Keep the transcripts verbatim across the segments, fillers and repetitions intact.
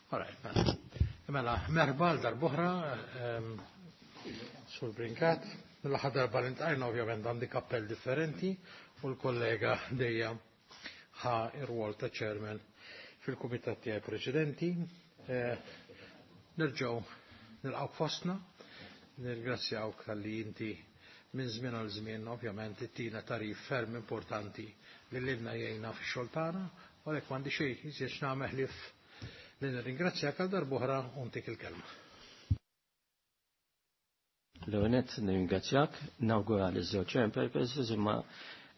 Alright, mela. Mela, merħba għal darb'oħra, ehm, Sur Brincat. Mill-aħħar darba li ltqajna ovvjament għandi kappell differenti u l-kollega Delia ħa ir-rwol ta' chairman fil-kumitat tiegħi preċedenti. Eh, nerġgħu nilqgħu fostna, nirringrazzjawk talli inti minn żmien għal żmien ovvjament ittina tagħrif ferm importanti li lilna jgħinna fix-xogħol tagħna, u għalhekk m'għandi xejn iżjed x'nagħmel ħlief li nirringrazzjak għal darb'oħra u ntik il-kelma. L-ewwel nett nirringrazzjak, nawgura li żewġ chairpersons, imma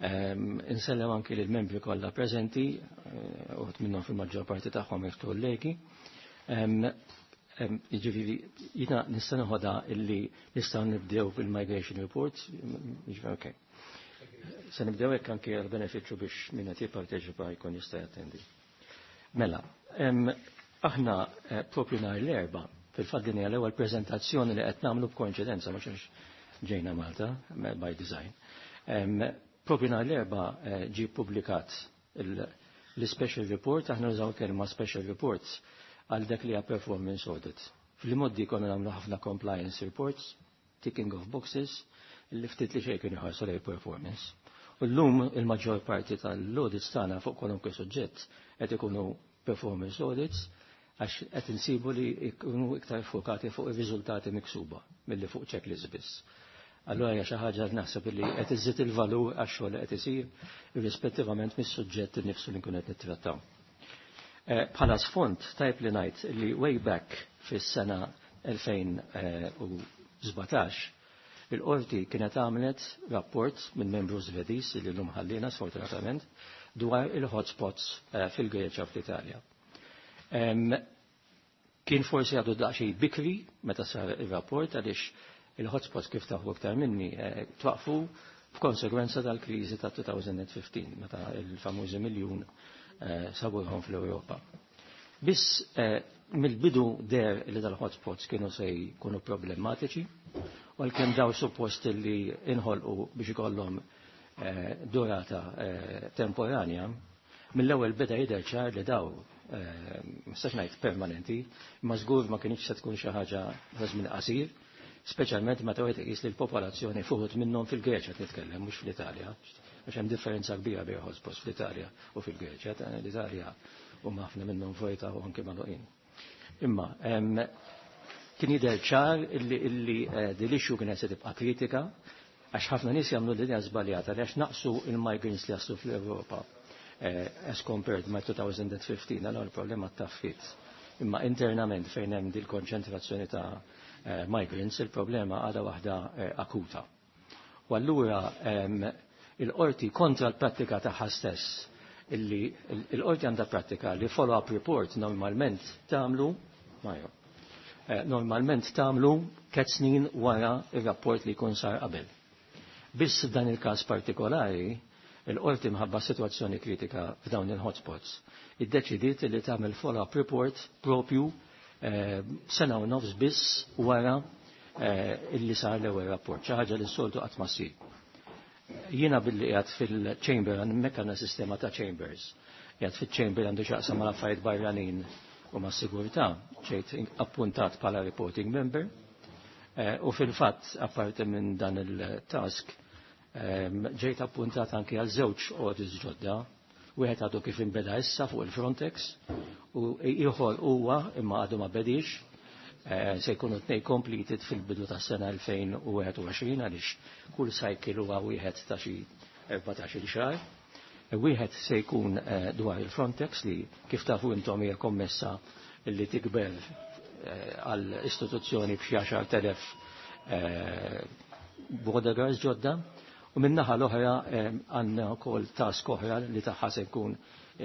ehm, insellem anki lill membri kollha preżenti, eh, uħud minnhom fil-maġġor parti tagħhom kollegi. Ehm, ehm, jiġifieri jiena nista' noħodha illi nistgħu nibdew bil-migration report, jiġifieri okay. Se nibdew hekk anki għal benefiċċju biex min qed jipparteċipa jkun jista' jattendi. Mela, aħna eh, propju nhar l-Erbgħa, fil-fatt din hija l-ewwel preżentazzjoni li qed nagħmlu b'koinċidenza, mhux għax ġejna Malta by design. Propju nhar l-Erbgħa eh, ġie publikat l-special report, aħna nużaw kelma special reports għal dak li hija performance audit. Fil-modi konna nagħmlu ħafna compliance reports, ticking of boxes, li ftit li xejn kienu jħarsu lejn performance. U llum il-maġġor parti tal-audits tagħna fuq kwalunkwe suġġett qed ikunu performance audits, għax qed insibu li jkunu iktar fokati fuq ir-riżultati miksuba milli fuq checklist biss. Allura hija xi ħaġa li naħseb li qed iżid il-valur għax-xogħol li qed isir irrispettivament mis-suġġett innifsu li nkun qed nittrattaw. Eh, bħala sfond tajb li ngħid li way back fis-sena elfejn u sbatax il-qorti kienet għamlet rapport minn membru Svediż li llum ħallina sfortunatament dwar il-hotspots eh, fil-Greċja, fl-Italja. Kien forsi għadu daqsxejn bikri meta sar il-rapport, għaliex il-hotspots, kif tafu iktar minni, eh, twaqfu f'konsegwenza tal-kriżi ta' elfejn u ħmistax meta il-famużi miljun eh, sabuhom fl-Ewropa. Biss eh, mill-bidu deher li dal-hotspots kienu se jkunu problematiċi, u għalkemm daw suppost li inħolqu biex ikollhom durata temporanja, mill-ewwel beda jidher ċar li daw, mistax ngħid permanenti, ma żgur ma kienx se tkun xi ħaġa ta' żmien qasir, speċjalment meta wieħed iqis li l-popolazzjoni fuħut minnhom fil-Greċja titkellem, mhux fl-Italja, għax hemm differenza kbira bejn hotspots fl-Italja u fil-Greċja. L-Italja huma ħafna minnhom vojta u anke magħluqin. Imma kien jidher ċar illi illi eh, din l-issue kienet se tibqa' kritika, għax ħafna nies jagħmlu l-idea żbaljata li għax naqsu il-migrants li jaslu fl-Ewropa eh, as compared ma' elfejn u ħmistax, allora il-problema taffit. Imma internament fejn hemm dil konċentrazzjoni ta' eh, migrants, il-problema għadha waħda akuta. U allura il-qorti, kontra l-prattika tagħha stess, illi il-qorti għandha prattika li follow-up report normalment tagħmlu Majo, eh, normalment tagħmlu tliet snin wara il-rapport li jkun sar qabel. Biss dan il-każ partikolari, il-qorti, mħabba situazzjoni kritika f'dawn il-hotspots, iddeċidiet li tagħmel follow-up report propju eh, sena u nofs biss wara eh, illi sar l-ewwel rapport, xi ħaġa li s-soltu qatt ma ssir. Jiena billi qiegħed fil-chamber, hemmhekk għandna sistema ta' chambers. Qiegħed fil-chamber għandu x'jaqsam mal affarijiet barranin u ma' sigurtà, ġejt appuntat bħala reporting member. Eh, u fil-fatt, apparti minn dan il-task, ġejt appuntat anki għal żewġ audits ġodda. Wieħed għadu kif inbeda issa fuq il-Frontex u ieħor huwa imma għadu ma bedix, eh, se jkunu tnej completed fil-bidu tas sena elfejn u wieħed u għoxrin, għaliex kull cycle huwa wieħed ta' xi erbatax-il xahar. Wieħed se jkun eh, dwar il-Frontex li, kif tafu intom, hija kommessa li tikber eh, għal istituzzjoni b'xi għaxart elef border guards ġodda, u min-naħa l-oħra għandna wkoll task oħra li tagħha se jkun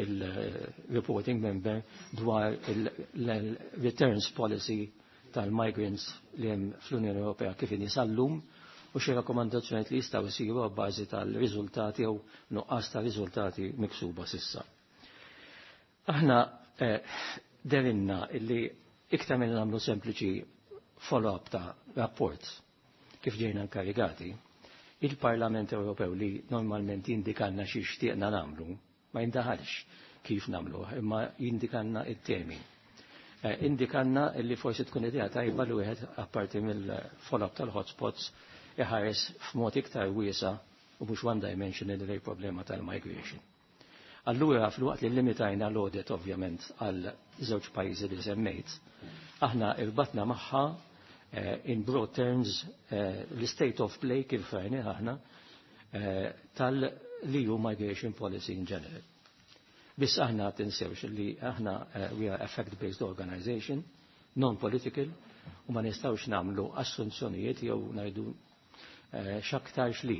il-reporting member dwar il-returns policy tal-migrants li hemm fl-Unjoni Ewropea kif inhi sal-lum u xi rakkomandazzjonijiet li jistgħu jsiru bbażi tal-riżultati jew nuqqas ta' riżultati miksuba s'issa. Aħna eh, dehrilna illi iktar minn nagħmlu sempliċi follow-up ta' rapport kif ġejna inkarigati, il-Parlament Ewropew li normalment jindikanna xi xtieqna nagħmlu, ma jindaħalx kif nagħmlu, imma jindikanna it-temi. Indikanna li forsi tkun idea tajba li wieħed apparti mill-follow-up tal-hotspots iħares f'mod iktar wiesa u mhux one dimensional li problema tal-migration. Allura fil-waqt li limitajna l-audit ovvjament għal żewġ pajjiżi li semmejt, aħna irbatna magħha in broad terms l-state of play kif rajni aħna tal-E U migration policy in general. Biss aħna tinsewx li aħna we are a fact-based organization, non-political, u ma nistgħux nagħmlu assunzjonijiet jew ngħidu x'aktarx li.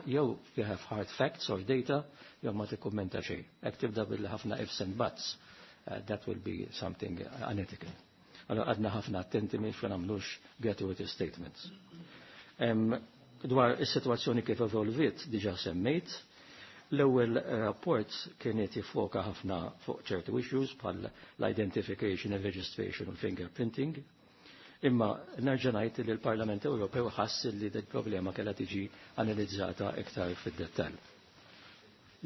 Jew you have hard facts or data, jew ma tikkummenta xejn. Hekk tibda billi ħafna ifs and buts, that will be something unethical. Allora għadna ħafna attenti biex ma nagħmlux gratuitous statements. Dwar is-sitwazzjoni kif evolviet diġà semmejt, l-ewwel rapport kienet jiffoka ħafna fuq ċertu issues bħal l-identification, registration u fingerprinting. Imma nerġa' ngħid li l-Parlament Ewropew ħass li dik problema kellha tiġi analizzata iktar fid-dettall.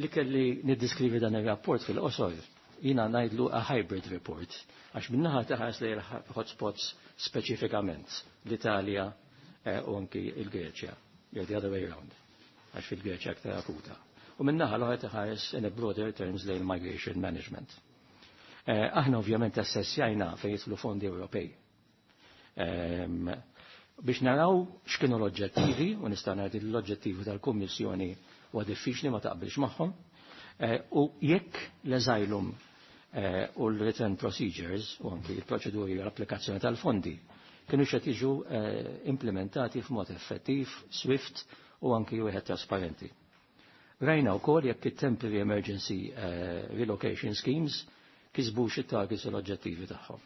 Li kelli niddiskrivi dan ir-rapport fil-qosor, jiena ngħidlu a hybrid report, għax min-naħa tħares li hotspots speċifikament l-Italja u anki il-Greċja, jew the other way around, għax fil-Greċja aktar akuta. U min-naħa l-oħra tħares in a broader terms lejn migration management. Aħna ovvjament assessjajna fejn jidħlu fondi Ewropej. Biex naraw x'kienu l-oġġettivi, u nista' ngħid li l-oġġettivi tal-Kummissjoni huwa diffiċli ma taqbilx magħhom, u jekk l-asylum u l-return procedures u anki l-proċeduri u l-applikazzjoni tal-fondi kienu qed jiġu implementati f'mod effettiv, swift u anki wieħed trasparenti. Rajna wkoll jekk it-temporary emergency relocation schemes kisbux it-targets u l-oġġettivi tagħhom.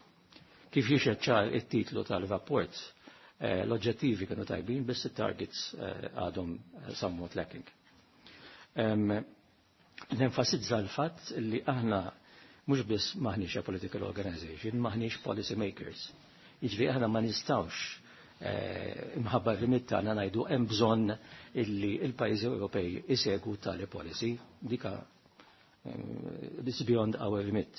Kif jixhed ċar it-titlu tal-rapport, l-oġġettivi kienu tajbin, biss it-targets għadhom somewhat lacking. Nenfasizza l-fatt li aħna mhux biss maħniex a political organization, maħniex policy makers. Jiġifieri aħna ma nistgħux imħabba r-remit tagħna ngħidu hemm bżonn illi il-pajjiżi Ewropej isegwu tali policy, dika this beyond our remit.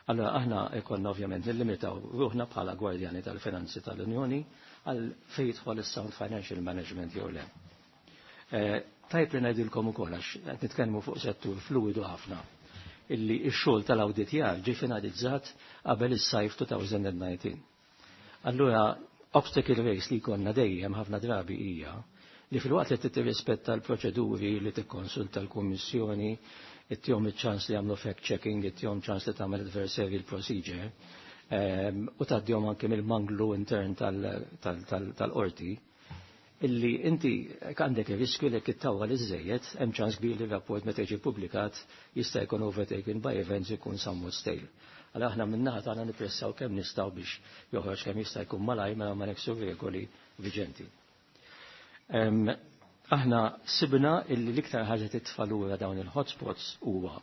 Allora aħna ikonna ovvjament nillimitaw ruħna bħala gwardjani tal-finanzi tal-Unjoni għal fejn jidħol is-sound financial management jew le. Tajb li ngħidilkom ukoll għax qed nitkellmu fuq settur fluidu ħafna illi x-xogħol tal-awditjar ġie finalizzat qabel is-sajf twenty nineteen. Allura obstacle race li konna dejjem ħafna drabi hija li fil-waqt li tirrispetta l-proċeduri li tikkonsulta l-Kummissjoni, ittihom iċ-ċans li jagħmlu fact-checking, ittihom ċans li tagħmel adversarial procedure, u tgħaddihom anke mill-manglu intern tal-qorti, illi inti għandek il-riskju li kittawwa li żejjed, hemm ċans kbir li rapport meta jiġi publikat jista' jkun overtaken by events, ikun somewhat stale. Għala aħna min-naħa tagħna nippressaw kemm nistgħu biex joħroġ kemm jista' jkun malajr mela ma neksu regoli viġenti. Aħna sibna illi l-iktar ħaġa titfa' lura dawn il-hotspots huwa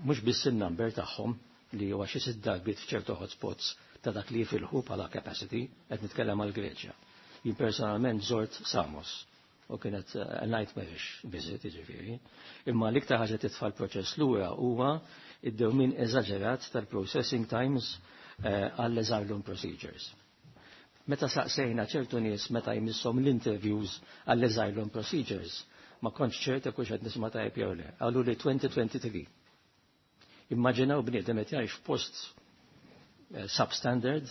mhux biss in-number tagħhom li huwa xi sitt darbiet f'ċertu hotspots ta' dak li jifilħu bħala capacity, qed nitkellem għal Greċja. Jien personalment żort Samos u kienet a nightmarish visit, jiġifieri. Imma l-iktar ħaġa titfa' l-proċess lura huwa id-dewmin eżaġerat tal-processing times għall-asylum procedures. Meta saqsejna ċertu nies meta jmisshom l-interviews għall-asylum procedures, ma kontx ċerta kux qed nisma' tajjeb jew le. Qalu li twenty twenty-three. Immaġinaw bniedem qed jgħix f'post substandard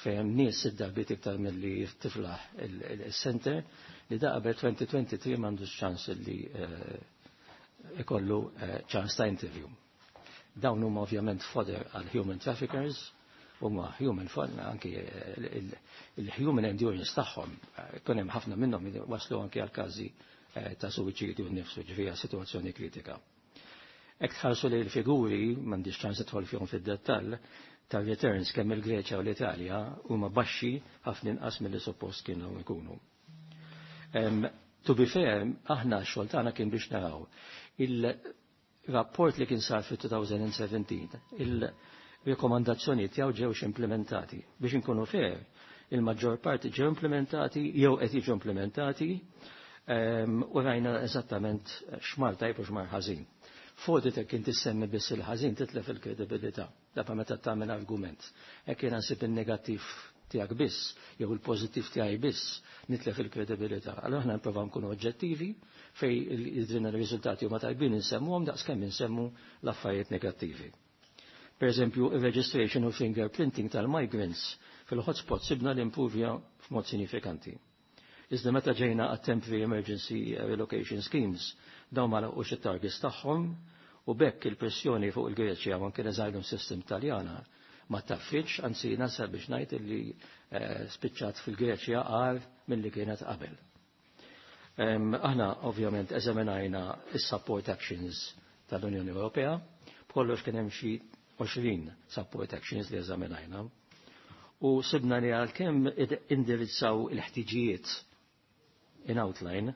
fejn hemm nies sitt darbiet iktar milli tiflaħ il-center li da qabel twenty twenty-three m'għandux ċans li ikollu ċans ta' interview. Dawn huma ovvjament fodder għal human traffickers, huma human fodder anki il-human endurance tagħhom, kun hemm ħafna minnhom waslu anki għal każi ta' suwiċidju nnifsu, ġifieri sitwazzjoni kritika. Jekk tħarsu li l-figuri, m'għandix ċans idħol fihom fid-dettall, ta' returns kemm il-Greċja u l-Italja huma baxxi ħafna inqas milli suppost kienu jkunu. Um, to be fair, aħna x-xogħol tagħna kien biex naraw il-rapport li kien sar fit-twenty seventeen, il-rekomandazzjoni tiegħu ġewx implementati. Biex inkunu fair, il-maġġor parti ġew implementati jew qed jiġu implementati um, u rajna eżattament x'mar tajb u x'mar ħażin. F'audit jekk inti semmi biss il-ħażin titlef il-kredibilità. Dapa meta tagħmel argument. Hekk jiena nsib in-negattiv tiegħek biss jew il-pożittiv tiegħi biss nitlef il-kredibilità. Allura aħna nipprovaw nkunu oġġettivi fejn jidhrilna r-riżultati huma tajbin insemmuhom daqskemm insemmu l-affarijiet negattivi. Per eżempju, il-registration u fingerprinting tal-migrants fil-hotspot sibna li improvja f'mod sinifikanti. Iżda meta ġejna għat temporary emergency relocation schemes, dawn ma laħqux it-targets tagħhom u b'hekk il-pressjoni fuq il-Greċja u anke l-asylum system Taljana ma taffiċ, anzi nasal biex ngħid illi eh, spiċċat fil-Greċja agħar milli kienet qabel. Aħna ovvjament eżaminajna is-support actions tal-Unjoni Ewropea, b'kollox kien hemm xi għoxrin support actions li eżaminajna. U sibna li għalkemm indirizzaw il-ħtiġijiet in outline,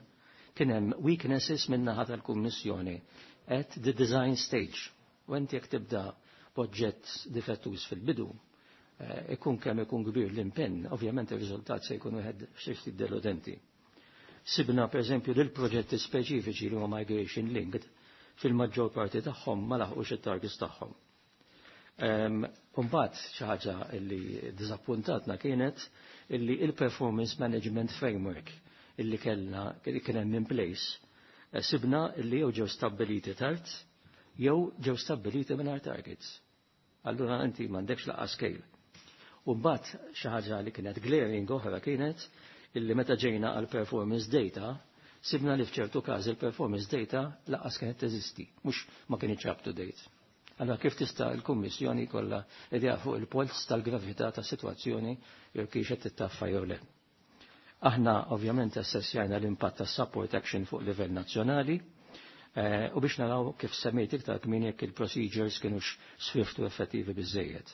kien hemm weaknesses min-naħa tal-Kummissjoni at the design stage. U inti jekk tibda proġett difettuż fil-bidu, eh, ikun kemm ikun kbir l-impenn, ovvjament ir-riżultat se jkun wieħed xi ftit deludenti. Sibna per eżempju lil proġetti speċifiċi li huma migration linked fil-maġġor parti tagħhom ma laħqux it-targets tagħhom. Imbagħad xi ħaġa li diżappuntatna kienet illi il-performance management framework illi kellna li kien hemm in place eh, sibna illi jew ġew stabbiliti tard jew ġew stabbiliti mingħajr targets. Allura inti m'għandekx lanqas scale. U mbagħad xi ħaġa li kienet glaring oħra kienet illi meta ġejna għal performance data sibna li f'ċertu każ il-performance data lanqas kienet teżisti, mhux ma kienx up to date. Allora kif tista' l-Kummissjoni kollha idea fuq il-polz tal-gravità ta' sitwazzjoni jew kif qed tittaffa jew le. Aħna ovvjament assessjajna l-impatt tas support action fuq livell nazzjonali eh, u biex naraw kif semmejt iktar kmin jekk il-procedures kienux swift u effettivi biżejjed.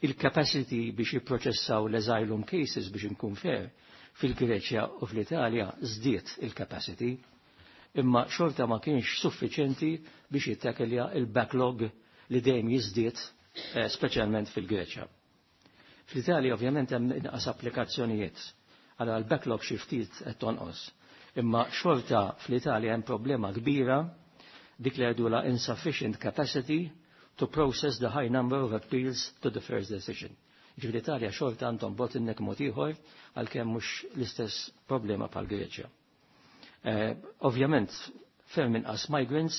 Il-capacity biex jipproċessaw l-asylum cases, biex inkun fair, fil-Greċja u fl-Italja żdiet il-capacity, imma xorta ma kienx suffiċenti biex jittakilja il-backlog li dejjem jiżdied, eh, speċjalment fil-Greċja. Fl-Italja ovvjament hemm inqas applikazzjonijiet, għala l-backlog xi ftit qed tonqos. Imma xorta fl-Italja hemm problema kbira, dik li la insufficient capacity to process the high number of appeals to the first decision. Ġifieri l-Italja xorta għandhom bottleneck mod ieħor, għalkemm mhux l-istess problema bħal Greċja. Eh, ovvjament, ferm inqas migrants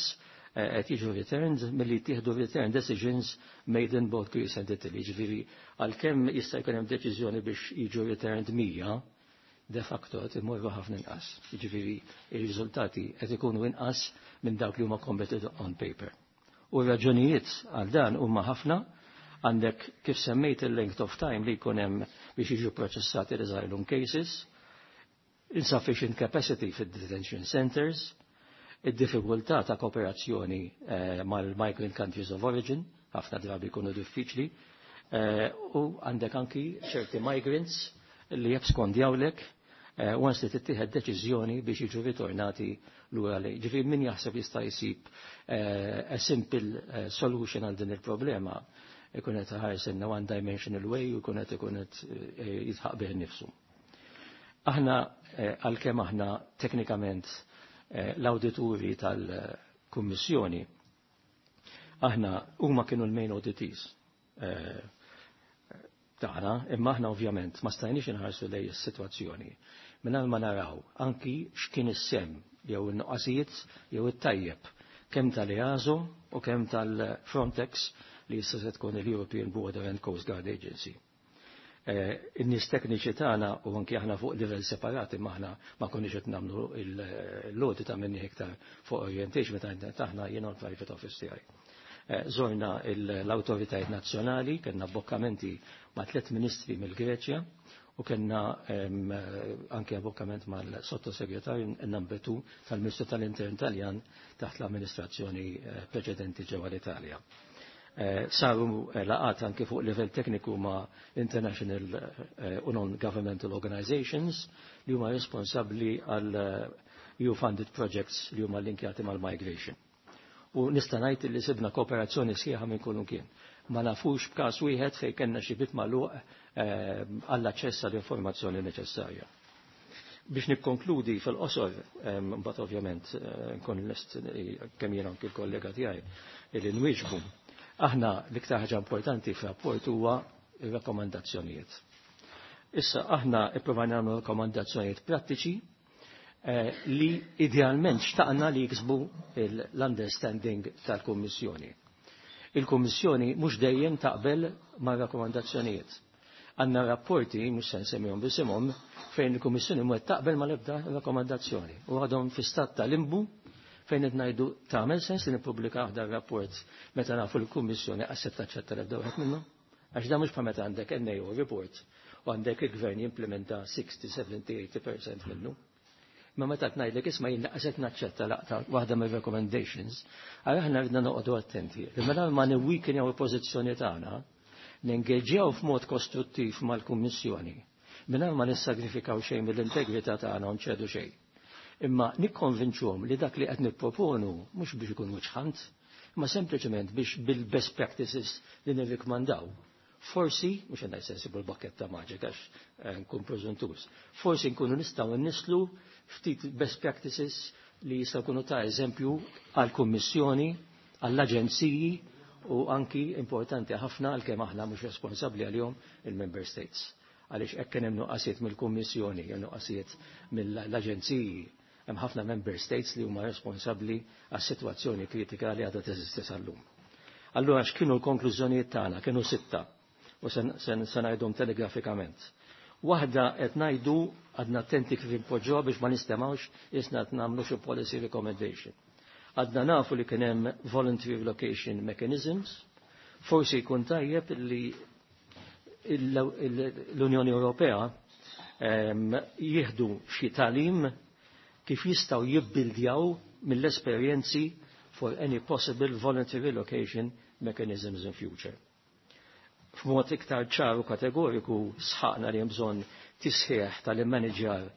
eh, qed jiġu returned milli jittieħdu return decisions made in both Greece and Italy. Ġifieri għalkemm jista' jkun hemm deċiżjoni biex jiġu returned mija, de facto qed imorru ħafna inqas. Jiġifieri ir-riżultati qed ikunu inqas minn dawk li huma committed on paper. U raġunijiet għal dan huma ħafna. Għandek, kif semmejt, il-length of time li jkun hemm biex jiġu proċessati l-asylum cases, insufficient capacity fid-detention centers, id-diffikultà ta' kooperazzjoni eh, mal-migrant countries of origin, ħafna drabi jkunu diffiċli, eh, u għandek anki ċerti migrants li jabskondjawlek eh, once li tittieħed deċiżjoni biex jiġu ritornati lura lej. Ġifieri min jaħseb jista' jsib eh, a simple eh, solution għal din il-problema ikun qed iħares in one dimensional way u jkun qed ikun qed eh, jidħaq bih innifsu. Aħna eh, għalkemm aħna teknikament eh, l-awdituri tal-Kummissjoni, aħna huma kienu l-main auditees eh, tagħna, imma aħna ovvjament ma stajniex inħarsu lej is-sitwazzjoni mingħajr ma naraw anki x'kien is-sehem jew in-nuqqasijiet jew it-tajjeb kemm tal-EASO u kemm tal-Frontex li issa se tkun il-European Border and Coast Guard Agency. Eh, in-nies tekniċi tagħna u anki aħna fuq livell separati, imma aħna ma konniex qed nagħmlu l-audit ta' minni iktar fuq orientation meta aħna jiena l-private office tiegħi. Eh, Zorna l-awtoritajiet nazzjonali, kellna abbokkamenti ma' tliet ministri mill-Greċja u kellna anke abbokkament mal-sottosegretarju number two tal-Ministru tal-Intern Taljan taħt l-amministrazzjoni eh, preċedenti ġewwa l-Italja. Eh, saru eh, laqgħat anke fuq livell tekniku ma' international eh, u non-governmental organizations li huma responsabbli għal E U-funded projects li huma linkjati mal-migration. U nista' ngħid li sibna kooperazzjoni sħiħa minn kull kien. Ma nafux b'każ wieħed fejn kellna xi bit magħluq għall-aċċess għall-informazzjoni neċessarja. Biex nikkonkludi fil-qosor, mbagħad ovvjament nkun lest kemm jien anki l-kollega tiegħi li nwieġbu. Aħna l-iktar ħaġa importanti f'rapport huwa ir-rakkomandazzjonijiet. Issa aħna ipprovajna nagħmlu rakkomandazzjonijiet prattiċi li idealment xtaqna li jiksbu l-understanding tal-Kummissjoni. Il-Kummissjoni mhux dejjem taqbel ma' rakkomandazzjonijiet. Għandna rapporti, mhux se nsemmihom b'isimhom, fejn il-Kummissjoni mhu qed taqbel mal-ebda rakkomandazzjoni u għadhom fi stat ta' limbu fejn qed ngħidu tagħmel sens li nippubblika aħdar rapport meta nafu l-Kummissjoni qas se taċċetta l-ebda wieħed minnhom. Għax dan mhux bħal meta għandek N A O report u għandek il-gvern jimplementa sixty, seventy, eighty percent minnu. Ma meta ngħidlek isma' jien qed naċċetta laqta waħda mir-recommendations, għal aħna ridna noqogħdu attenti. Li mela ma niweakenjaw il-pożizzjoni tagħna, nengeġġjaw f'mod kostruttiv mal-Kummissjoni, mingħajr ma nissagrifikaw xejn mill-integrità tagħna u nċedu xejn. Imma nikkonvinċuhom li dak li qed nipproponu mhux biex ikun wiċċ, imma sempliċement biex bil-best practices li nirrikmandaw. Forsi, mhux għandna sensibu l-bakketta maġika għax eh, nkun preżuntuż, forsi nkunu nistgħu nislu ftit best practices li jistgħu jkunu ta' eżempju għall-Kummissjoni, għall-aġenziji u anki importanti ħafna għalkemm aħna mhux responsabbli għalihom il-Member States. Għaliex hekk kien hemm nuqqasijiet mill-Kummissjoni jew nuqqasijiet mill-aġenziji, hemm ħafna Member States li huma responsabbli għas-sitwazzjoni kritika li għadha teżisti sal-lum. Allura x'kienu l-konklużjonijiet tagħna? Kienu sitta u se ngħidhom telegrafikament. Waħda, qed ngħidu għadna attenti kif impoġġuha biex ma nistemgħux isna qed nagħmlu xi policy recommendation. Għadna nafu li kien hemm voluntary relocation mechanisms, forsi jkun tajjeb li l-Unjoni Ewropea jieħdu xi tagħlim kif jistgħu jibbildjaw mill-esperjenzi for any possible voluntary relocation mechanisms in future. F'mod iktar ċar u kategoriku sħaqna li hemm bżonn tisħiħ tal-manager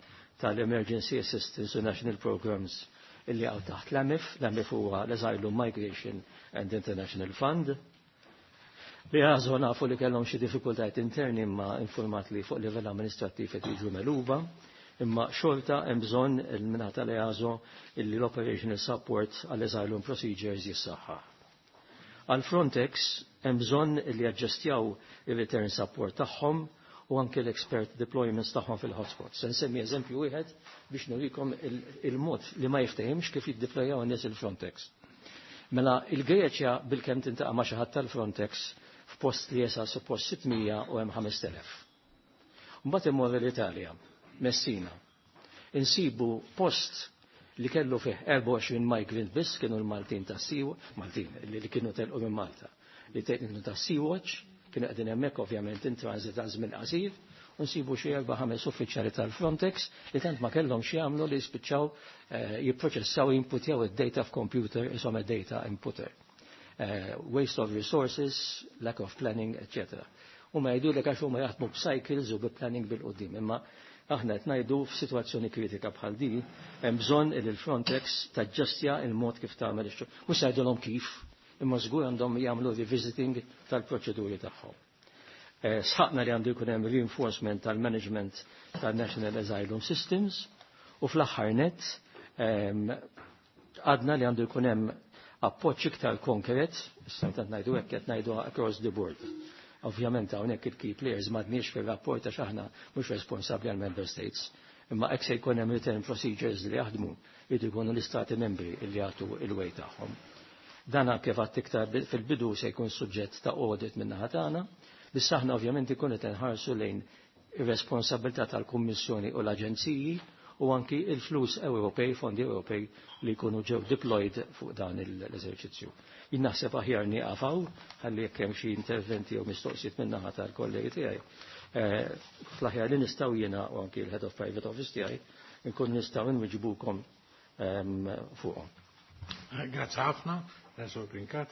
tal-Emergency Assistance u National Programs illi għaw taħt l-A M I F. L-A M I F huwa l-Asylum Migration and International Fund. Li għazu nafu li kellhom xi diffikultajiet interni, imma informat li fuq livell amministrattiv qed jiġu megħluba, imma xorta hemm bżonn il-minata li għazu illi l-operational support għall-asylum procedures jissaħħa. Għal Frontex hemm bżonn li jaġġestjaw ir-return support tagħhom u anke l-expert deployments tagħhom fil-hotspots. Se nsemmi eżempju wieħed biex nurikom il-mod li ma jiftehimx kif jiddeplojaw in-nies il-Frontex. Mela il-Greċja bilkemm tintaqa' ma' xi ħadd tal-Frontex f'post li jesa suppost sitt mija u hemm ħamest elef. Mbagħad immur l-Italja, Messina. Insibu post li kellu fih erbgħa u għoxrin migrant biss, kienu l-Maltin ta' Sea, Maltin li kienu telqu minn Malta, li kienu ta' Sea-Watch, kienu qegħdin hemmhekk ovvjament in transit ta' żmien qasir, u nsibu xi erba' ħames uffiċjali tal-Frontex li tant ma kellhom xi jagħmlu li jispiċċaw eh, jipproċessaw, jinputjaw id-data f'computer, isom data inputter. Eh, waste of resources, lack of planning, et cetera. U ma jgħidu li għax huma jaħdmu b'cycles u bi-planning bil-qudiem, imma aħna qed ngħidu f'sitwazzjoni kritika bħal di hemm bżonn li l-Frontex taġġestja il-mod kif tagħmel ix-xogħol. Mhux ngħidulhom kif, imma żgur għandhom jagħmlu revisiting tal-proċeduri tagħhom. Eh, sħaqna li għandu jkun hemm reinforcement tal-management tal-National Asylum Systems u fl-aħħar net għadna li għandu jkun hemm appoġġ iktar konkret, issa qed ngħidu hekk, qed ngħidu across the board. Ovvjament hawnhekk il-key players m'għadniex fir-rapport għax aħna mhux responsabbli għal member states. Imma hekk se jkun hemm return procedures li jaħdmu, jridu jkunu l-istati membri li jagħtu il-way tagħhom. Dana kif għadt iktar fil-bidu se jkun suġġett ta' audit minn naħa tagħna, biss aħna ovvjament ikun qed nħarsu lejn ir-responsabilità tal-Kummissjoni u l-Aġenziji u anki il-flus Ewropej, fondi Ewropej li jkunu ġew deployed fuq dan l-eżerċizzju. Jien naħseb aħjar nieqaf hawn ħalli jekk hemm xi interventi jew mistoqsijiet minn naħa tal-kollegi tiegħi. Eh, fl-aħjar li nistgħu jiena u anki l-Head of Private Office tiegħi nkun nistgħu nwiġbukom ehm, fuqhom. Grazzi ħafna, Sur Brincat.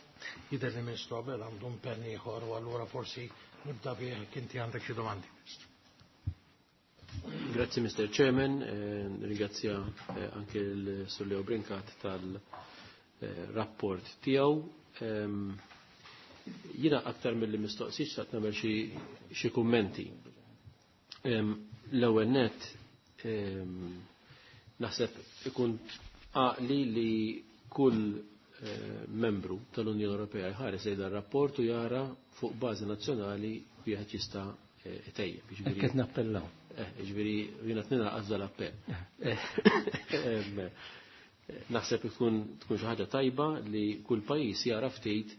Jidher li Ministru Abela għandu impenn ieħor u allura forsi nibda bih, inti għandek xi domandi. Grazzi, Mister Chairman, eh, ringrazzja eh, anche il Sur Leo Brincat tal-rapport tiegħu. Ehm, Jiena aktar mill-li mistoqsijiet xtaqt nagħmel xi kummenti. Ehm, l-ewwel net Naħseb ikun għaqli li kull membru tal-Unjoni Ewropea jħares lejn dan rapport u jara fuq bażi nazzjonali wieħed jista' itejjeb. Hekk qed nappellaw. Jiġifieri jiena tnina għażla l-appell. Naħseb ikun tkun xi ħaġa tajba li kull pajjiż jara ftit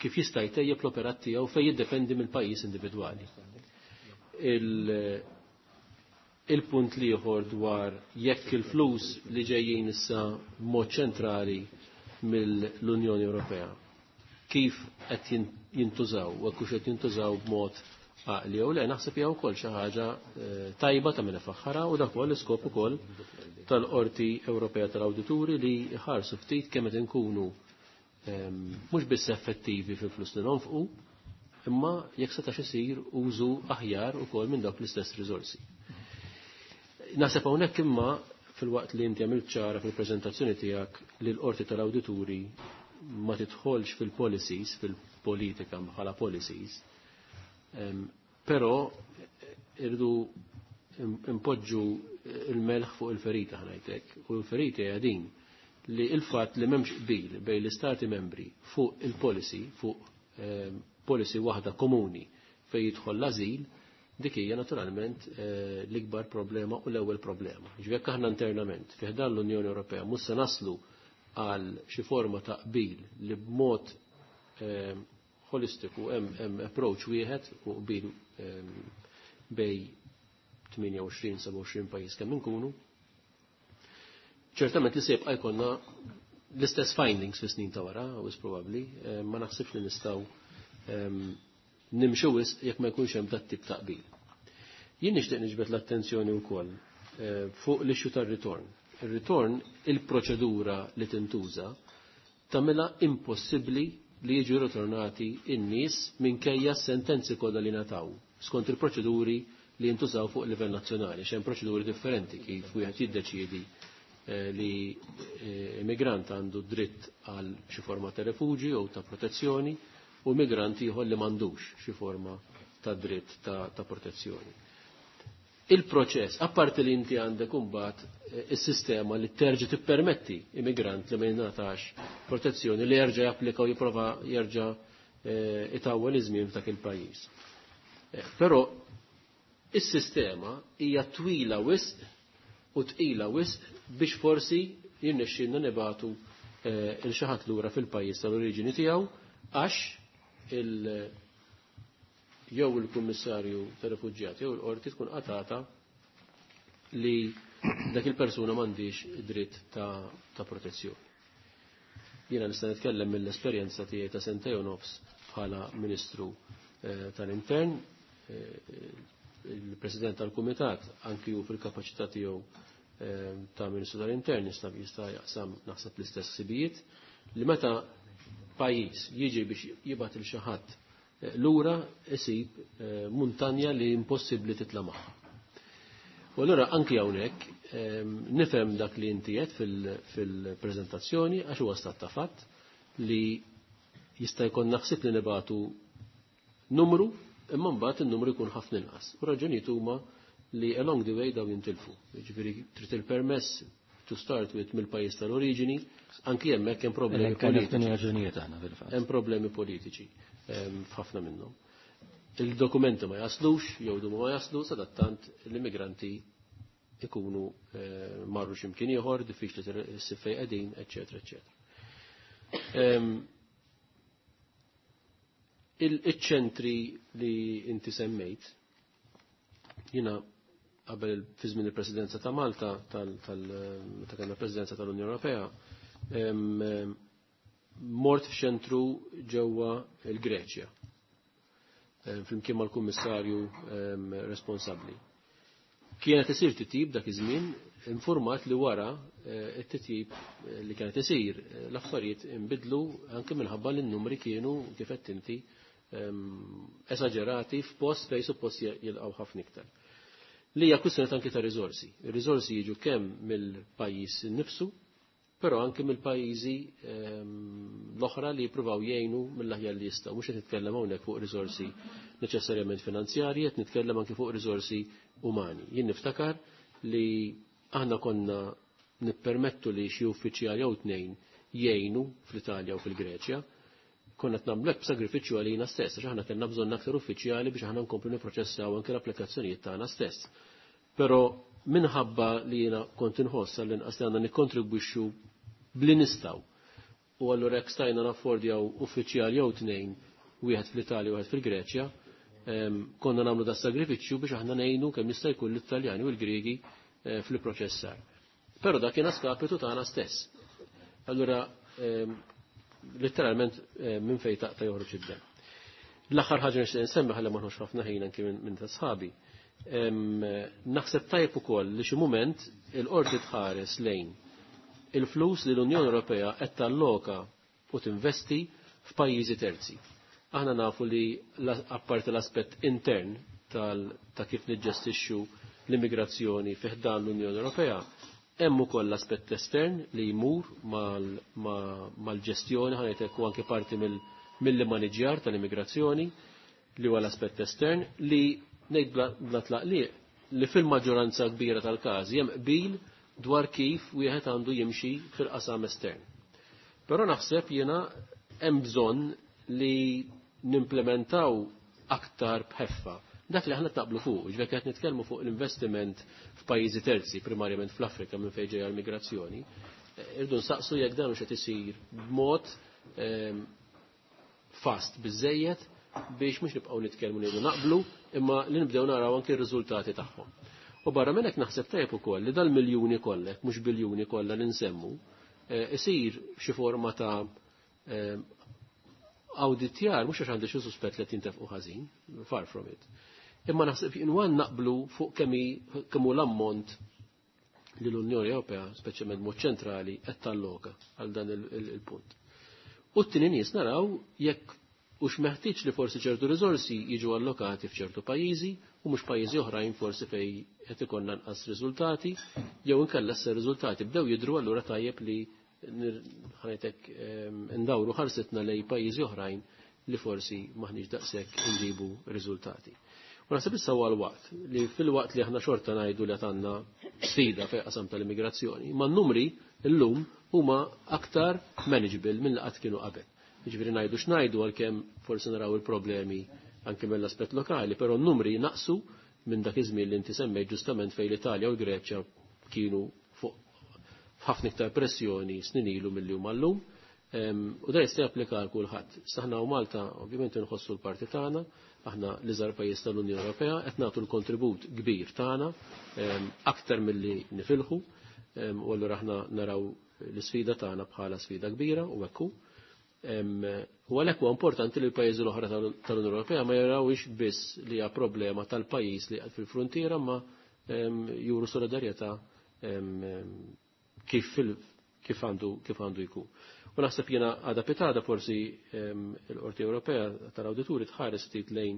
kif jista' jtejjeb l-operat tiegħu fejn jiddependi mill-pajjiż individwali. Il-punt liħor dwar jekk il-flus li ġejjin issa mod ċentrali mill-Unjoni Ewropea kif qed jintużaw u hekk qed jintużaw b'mod għaqli jew le, naħseb hija wkoll xi ħaġa tajba ta' minn faħħara u dak ukoll l-iskop ukoll tal-Qorti Ewropea tal-Awdituri li ħarsu ftit kemm qed inkunu mhux biss effettivi fil-flus li nonfqu, imma jekk setax isir użu aħjar ukoll minn dawk l-istess riżorsi. Naħseb hawnhekk imma fil-waqt li inti għamilt ċara fil-preżentazzjoni tiegħek li l-Qorti tal-Awdituri ma tidħolx fil-policies, fil-politika bħala policies, però irdu impoġġu il-melħ fuq il-ferita ħnajtek, u l-ferita hija din li il-fatt li m'hemmx qbil bejn l-istati membri fuq il-policy, fuq policy waħda komuni fejn jidħol l-ażil, dik hija naturalment l-ikbar problema u l-ewwel problema. Ġifieri jekk aħna internament fi ħdan l-Unjoni Ewropea mhux se naslu għal xi forma ta' qbil li b'mod holistiku hemm approach wieħed u qbil bej tmienja u għoxrin seba' u għoxrin pajjiż kemm inkunu, ċertament li se jibqa' jkollna l-istess findings fi snin ta' wara, wis probabbli, ma naħsibx li nistgħu nimxu wisq jekk ma jkunx hemm dat tip ta' qbil. Jien nixtieq niġbed l-attenzjoni wkoll fuq l-issue tar-ritorn. Ir-ritorn, il-proċedura li tintuża, tagħmilha impossibbli li jiġu ritornati in-nies minkejja s-sentenzi kollha li ngħataw skont il-proċeduri li jintużaw fuq livell nazzjonali, x'hemm proċeduri differenti kif wieħed jiddeċiedi li immigrant għandu dritt għal xi forma ta' refuġju jew ta' protezzjoni u immigrant ieħor li m'għandux xi forma ta' dritt ta', ta protezzjoni. Il-proċess, apparti li inti għandek imbagħad is-sistema li terġa' tippermetti immigrant li ma jingħatax protezzjoni li jerġa' japplika u jipprova jerġa' itawwel iż-żmien f'dak il-pajjiż. Però is-sistema hija twila wisq u tqila wisq biex forsi jirnexxielna nibatu il xi ħadd lura fil-pajjiż tal-oriġini tiegħu għax il jew il-kummissarju tar-refuġjati jew il-qorti tkun qatata li dak il-persuna m'għandix dritt ta', ta protezzjoni. Jiena nista' nitkellem mill-esperjenza tiegħi ta' sentejn u nofs bħala Ministru eh, tal-Intern, eh, il-President tal-Kumitat anki hu fil-kapaċità tiegħu eh, ta' Ministru tal-Intern jista' jista' jaqsam naħseb l-istess ħsibijiet li meta pajjiż jiġi biex jibgħat il xi ħadd lura isib muntanja li impossibbli titla' magħha. U allura anki hawnhekk nifhem dak li inti qed fil-preżentazzjoni għax huwa stat ta' fatt li jista' jkun naħsib li nibatu numru imma mbagħad in-numru jkun ħafna inqas. U raġunijiet huma li along the way daw jintilfu. Jiġifieri trid il-permess to start with mill-pajjiż tal-oriġini, anki hemmhekk hemm problemi politiċi. Hemm problemi politiċi f'ħafna minnhom. Il-dokumenti ma jaslux, jew dumu ma jaslu, sadattant l-immigranti ikunu marru x'imkien ieħor, diffiċli ssib fejn qegħdin, eċetera, eċetera. Il-ċentri li inti semmejt, jiena qabel fi żmien il-Presidenza ta' Malta, meta kellna Presidenza tal-Unjoni Ewropea, mort f'ċentru ġewwa l-Greċja, flimkien mal-kummissarju responsabbli. Kienet isir titjib dak iż-żmien, informat li wara it-titjib li kienet isir l-affarijiet inbidlu anke minħabba li n-numri kienu kif qed inti esaġerati f'post fejn suppost jilqgħu ħafna iktar. Li hija kwistjoni anke ta' riżorsi. Ir-riżorsi jiġu kemm mill-pajjiż innifsu, però anke mill-pajjiżi l-oħra li jippruvaw jgħinu mill-aħjar li jistgħu. Mhux qed nitkellem hawnhekk fuq riżorsi neċessarjament finanzjarji, qed nitkellem anke fuq riżorsi umani. Jien niftakar li aħna konna nippermettu li xi uffiċjali jew tnejn jgħinu fl-Italja u fil-Greċja, konna qed nagħmlu hekk b'sagrifiċċju għalina stess, għax aħna kellna bżonn aktar uffiċjali biex aħna nkomplu nipproċessaw anke l-applikazzjonijiet tagħna stess. Però minħabba li jiena kont inħoss għall-inqas li għandna nikkontribwixxu bli nistgħu. U allura jekk stajna naffordjaw uffiċjal jew tnejn, wieħed fl-Italja u wieħed fil-Greċja, konna nagħmlu da sagrifiċċju biex aħna ngħinu kemm jista' jkun l-Italjani u l-Griegi fil-proċessar. Però dak kien skapitu tagħna stess. Allura letteralment minn fejn taqta' joħroġ id-dem. L-aħħar ħaġa nixtieq insemmi ħalli ma nħux ħafna ħin anki minn ta' sħabi. Naħseb tajjeb ukoll li xi mument il-qorti tħares lejn il-flus li l-Unjoni Ewropea qed talloka u tinvesti f'pajjiżi terzi. Aħna nafu li apparti l-aspett intern ta' kif niġġestixxu l-immigrazzjoni fi ħdan l-Unjoni Ewropea, hemm ukoll l-aspett estern li jmur mal-ġestjoni, ħanejtek u anke parti mill-maniġjar tal-immigrazzjoni li huwa l-aspett estern li ngħid bla tlaqliq li fil-maġġoranza kbira tal-każi hemm qbil dwar kif wieħed għandu jimxi fil-qasam estern. Però naħseb jiena hemm bżonn li nimplementaw aktar bħeffa dak li aħna taqblu fuq, ġvek qed nitkellmu fuq l-investiment f'pajjiżi terzi, primarjament fl-Afrika minn fejn ġejja l-migrazzjoni, irdu nsaqsu jekk dan hux qed isir b'mod fast biżejjed biex mhux nibqgħu nitkellmu ngħidu naqblu, imma li nibdew naraw anke r-riżultati tagħhom. U barra minn hekk naħseb tajjeb ukoll li dal-miljuni kollek, mhux biljuni kollha li nsemmu, isir xi forma ta' awditjar, mhux għax għandi xi suspett li qed jintefqu ħażin, far from it. Imma naħseb inwan naqblu fuq kemm hu l-ammont li l-Unjoni Ewropea, speċjalment mod ċentrali, qed talloka għal dan il-punt. U t-tieni nies naraw jekk hux meħtieġ li forsi ċertu riżorsi jiġu allokati f'ċertu pajjiżi u mhux pajjiżi oħrajn forsi fejn qed ikollna nqas riżultati, jew inkella issa riżultati bdew jidhru allura tajjeb li ħanejtek ndawru ħarsitna lej pajjiżi oħrajn li forsi maħniex daqshekk inġibu riżultati. U naħseb issa huwa l-waqt li fil-waqt li aħna xorta ngħidu li għandna sfida fejn qasam tal-immigrazzjoni, ma n-numri llum huma aktar manageable minn li qatt kienu qabel. Jiġifieri ngħidu x'ngħidu għalkemm forsi naraw il-problemi anke mill-aspett lokali, però n-numri naqsu minn dak iż-żmien li inti semmejt ġustament fejn l-Italja u l-Greċja kienu fuq ħafna iktar pressjoni snin ilu milli huma llum. U da jista' japplika għal kulħadd. Saħna u Malta ovvjament inħossu l-parti tagħna, aħna l-iżgħar pajjiż tal-Unjoni Ewropea qed nagħtu l-kontribut kbir tagħna aktar milli nifilħu, u allura aħna naraw l-isfida tagħna bħala sfida kbira u hekk hu. U għalhekk huwa importanti li l-pajjiżi l-oħra tal-Unjoni Ewropea ma jarawx biss li hija problema tal-pajjiż li qed fil-fruntiera, ma juru solidarjetà kif kif għandu kif għandu jkun. U naħseb jiena għada pitada forsi l-Qorti Ewropea tal-Awdituri tħares ftit lejn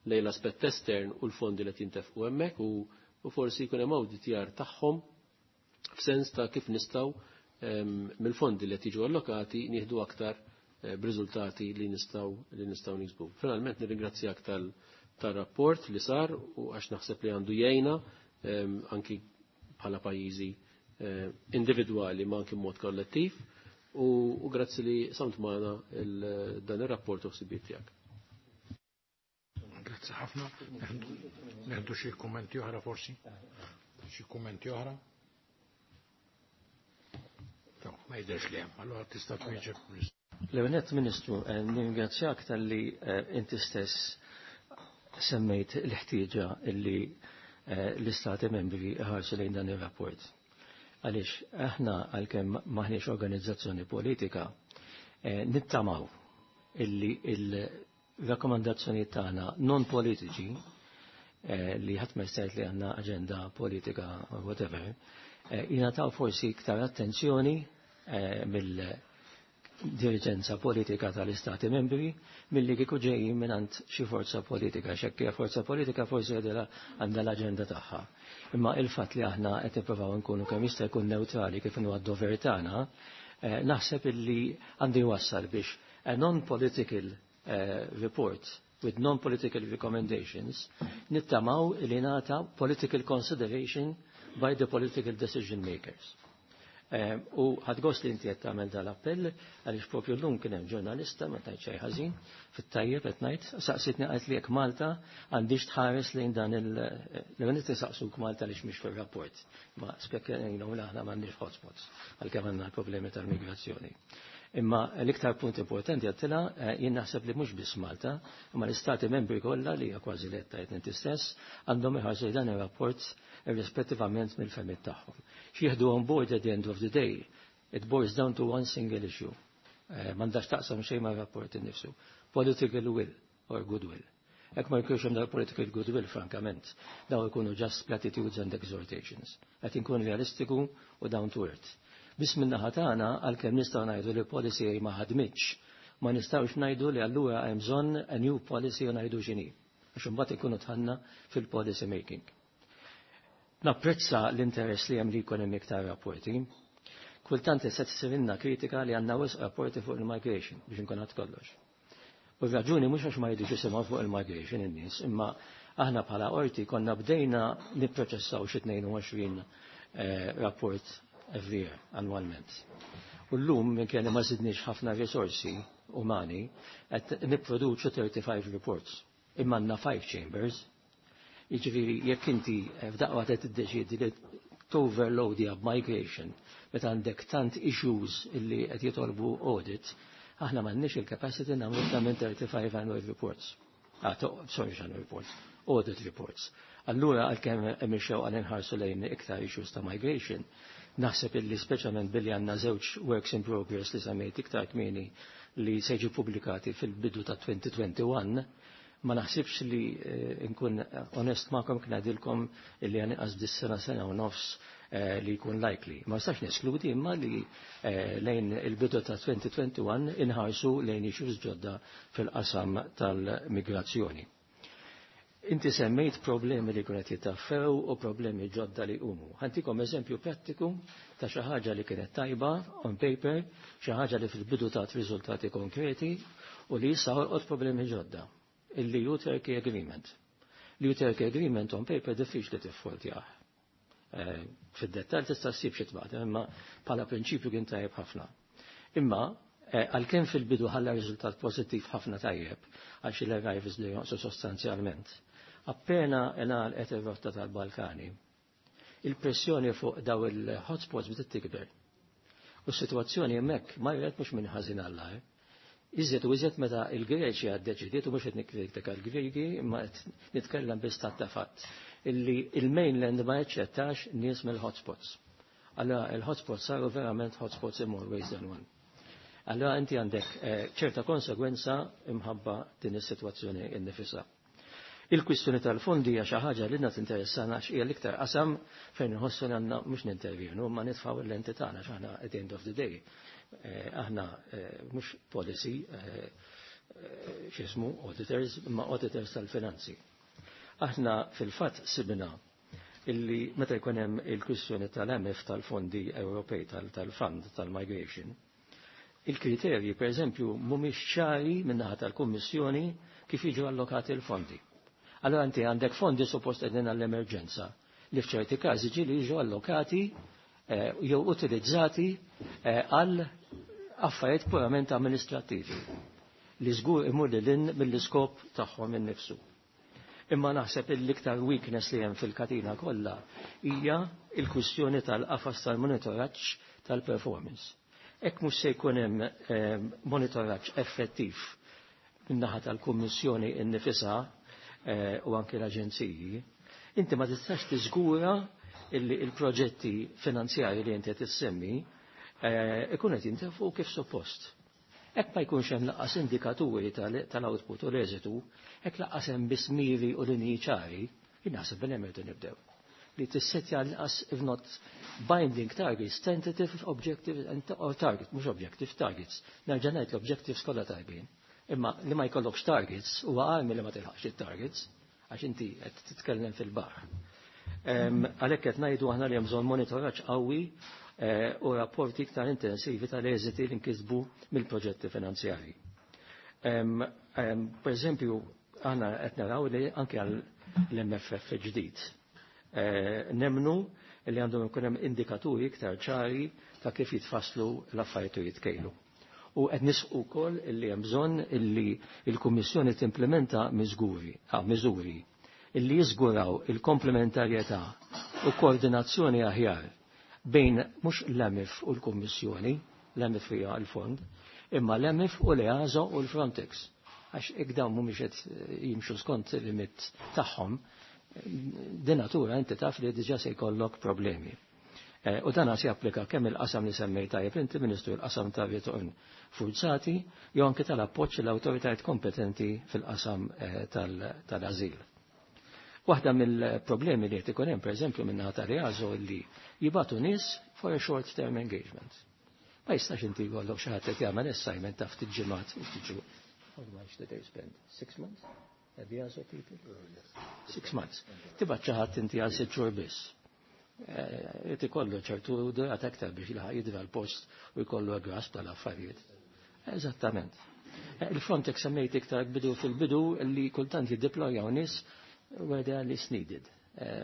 lejn l-aspett estern u l-fondi li jintefqu hemmhekk u forsi jkun hemm awditjar tagħhom f'sens ta' kif nistgħu mill-fondi li qed jiġu allokati nieħdu aktar b'riżultati li nistgħu li nistgħu niksbu. Finalment nirringrazzjak tal-rapport li sar u għax naħseb li għandu jgħinna anki bħala pajjiżi individwali ma anki mod kollettiv. U grazzi li samt magħna dan ir-rapport u ħsibijiet tiegħek. Grazzi ħafna. Neħdu xi kummenti oħra forsi? Xi kummenti oħra? Ma jidhirx li hemm, allura tista' twieġeb. L-ewwel Ministru, nirringrazzjak talli inti stess semmejt l-ħtieġa illi l-Istati membri ħarsu lejn dan ir-rapport. Għaliex aħna għalkemm maħniex organizzazzjoni politika, nittamaw illi il-rakkomandazzjoni tagħna non politiċi li ħadd ma jista' li għandna aġenda politika or whatever, jingħataw forsi iktar attenzjoni mill diriġenza politika tal-Istati membri milli kieku ġejjin mingħand xi forza politika, x'hekk hija forza politika forsi għadha għandha l-aġenda tagħha. Imma il-fatt li aħna qed nippruvaw nkunu kemm jista' jkun neutrali kif inhu għad-dover tagħna, eh, naħseb illi għandu jwassal biex a non-political eh, report with non-political recommendations nittamaw li nata political consideration by the political decision makers. Eh, u ħadt gost li inti qed tagħmel dal-appell għaliex propju llum kien hemm ġurnalista ma tajt xejn ħażin fit-tajjeb qed ngħid saqsitni qalt li jekk Malta għandix tħares lejn dan il l saqsuk Malta għaliex mhix fir-rapport. Ma spekkelejna u aħna m'għandniex hotspots għalkemm għandna l-problemi tal-migrazzjoni. Imma l-iktar punt importanti għedtilha eh, jien naħseb li mhux biss Malta, imma l-istati membri kollha li hija kważi li qed inti stess għandhom iħarsu dan ir-rapport irrispettivament mill-fehmiet tagħhom. X'jieħdu on board at the end of the day, it boils down to one single issue. Eh, m'għandax taqsam xejn ma' rapport innifsu. Political will or goodwill. Jekk ma jkunx hemm dal political goodwill, frankament, daw ikunu just platitudes and exhortations. Qed inkun realistiku u down to earth. Biss min-naħa tagħna għalkemm nistgħu ngħidu li policy ma ħadmitx, ma nistgħux ngħidu li allura hemm bżonn a new policy u ngħidu x'inhi. Għax imbagħad ikunu dħalna fil-policy making. Napprezza l-interess li hemm li jkun hemm iktar rapporti. Kultant se tsirilna kritika li għandna wisq rapporti fuq il-migration biex inkun għad kollox. U r-raġuni mhux għax ma jridux jisimgħu fuq il-migration in-nies, imma aħna bħala qorti konna bdejna nipproċessaw xi tnejn u għoxrin eh, rapport every year, annwalment. U llum minn kelli ma zidniex ħafna risorsi umani, qed nipproduċu thirty-five reports. Imma għandna five chambers. Jiġifieri jekk inti f'daqqa qed tiddeċiedi li overload migration, meta għandek tant issues illi qed jitolbu audit, aħna m'għandniex il-capacity nagħmlu iktar minn thirty-five annual reports. Ah, sorry, annual reports, audit reports. Allura għalkemm hemm ix-xewqa inħarsu lejn iktar issues ta' migration, naħseb illi speċjalment billi għandna żewġ works in progress li semmejt iktar kmieni li se jiġu pubblikati fil-bidu ta' elfejn u wieħed u għoxrin, ma naħsibx li eh, nkun onest magħkom ngħidilkom illi għan inqas dis-sena sena u nofs eh, li jkun likely. Ma nistax neskludi imma li eh, lejn il-bidu ta' elfejn u wieħed u għoxrin inħarsu lejn issues ġodda fil-qasam tal-migrazzjoni. Inti semmejt problemi li kienet jittaffew u problemi ġodda li umu. Ħa ntikom eżempju prattiku ta' xi ħaġa li kienet tajba on paper, xi ħaġa li fil-bidu tat riżultati konkreti u li issa ħolqot problemi ġodda. Il-E U Turkey Agreement. L-E U Turkey Agreement on paper diffiċli tiffoltjah. Eh, fid-dettal tista' ssib xi tbaqta, imma bħala prinċipju kien tajjeb ħafna. Imma eh, għalkemm fil-bidu ħalla riżultat pożittiv ħafna tajjeb għax il-arrivals li jonqsu sostanzjalment. Appena ngħalqet ir-rotta tal-Balkani, il-pressjoni fuq daw il-hotspots bdiet tikber. U s-sitwazzjoni hemmhekk marret mhux minn ħażin għall Iżjed u iżjed meta il-Greċja ddeċidiet, u mhux qed nikkritika l-Griegi, imma qed nitkellem bi stat ta' fatt, illi il-mainland ma jaċċettax nies mill-hotspots. Allora il-hotspots saru verament hotspots in more ways than one. Allora inti għandek eh, ċerta konsegwenza imħabba din is-sitwazzjoni innifisha. Il-kwistjoni tal-fondi hija xi ħaġa li tinteressana għax hija l-iktar qasam fejn inħossu li għandna mhux nintervjenu ma nitfgħu il-lenti tagħna x'aħna at the end of the day. Eh, aħna eh, mhux policy eh, x'ismu auditors imma auditors tal-finanzi. Aħna fil-fatt sibna illi meta jkun hemm il-kwistjoni tal-M F tal-fondi Ewropej tal-fund tal-migration, il-kriterji per eżempju mhumiex ċari min-naħa tal-Kummissjoni kif jiġu allokati l-fondi. Allora inti għandek fondi suppost qegħdin għall-emerġenza li f'ċerti każi ġieli jiġu allokati eh, jew utilizzati eh, għal affarijiet purament amministrativi li żgur imur lil mill-iskop tagħhom innifsu. Imma naħseb l-iktar weakness li hemm fil-katina kollha hija il-kwistjoni tal-qafas tal-monitoraġġ tal-performance. Hekk mhux se jkun hemm eh, monitoraġġ effettiv min-naħa tal-Kummissjoni innifisha Eh, u anke l-aġenziji, inti ma tistax tiżgura illi il-proġetti finanzjari li inti qed issemmi eh, ikun qed jintefqu kif suppost. Hekk ma jkunx hemm lanqas indikaturi tal-output u l-eżitu, hekk lanqas hemm biss miri u linji ċari, jien naħseb bil hemm nibdew. li tissetja l-inqas if not binding targets, tentative objectives and or target, mhux objective targets. Nerġa' ngħid l-objectives kollha tajbin. Imma li ma jkollokx targets huwa għalmi li ma tilħaqx it-targets għax inti qed titkellem fil-baħar. Għalhekk qed ngħidu aħna li hemm bżonn monitoraġġ qawwi eh, u rapporti iktar intensivi tal-eżiti li nkisbu mill-proġetti finanzjarji. Per eżempju, aħna qed naraw li anke għall M F F ġdid. Eh, nemnu li għandhom ikun hemm indikaturi iktar ċari ta' kif jitfasslu l-affarijiet u jitkejlu. U qed nisqu wkoll illi hemm bżonn illi l-Kummissjoni timplementa miżguri, ah, miżuri illi jiżguraw il-komplementarjetà u koordinazzjoni aħjar bejn mhux l-E M I F u l-Kummissjoni, l-E M I F hija l-fond, imma l-E M I F u l-EASO u l-Frontex. Għax jekk dawn mhumiex qed jimxu skont il-limit tagħhom, din natura inti taf li diġà se jkollok problemi. Eh, u dan se japplika kemm il-qasam li semmejt tajjeb inti, Ministru, il-qasam ta' ritorn forzati, jew anke tal-appoġġ l-awtoritajiet kompetenti fil-qasam eh, tal-azil. Waħda mill-problemi li qed ikun hemm, pereżempju, minn tal-EASO li jibagħtu nies for a short term engagement. Ma jistax inti jkollok xi ħadd qed jagħmel assignment ta' ftit ġimgħat u ftit. How much did they spend? Six months? The EASO people? Six months. Tibgħat xi ħadd inti għal sitt xhur biss. Qed ikollu ċertu durat aktar biex jilħaq jidra l-post u jkollu grasp tal-affarijiet. Eżattament. Il-Frontex semmejt iktar bidu fil-bidu li kultant jiddeplojaw nies where they are least needed.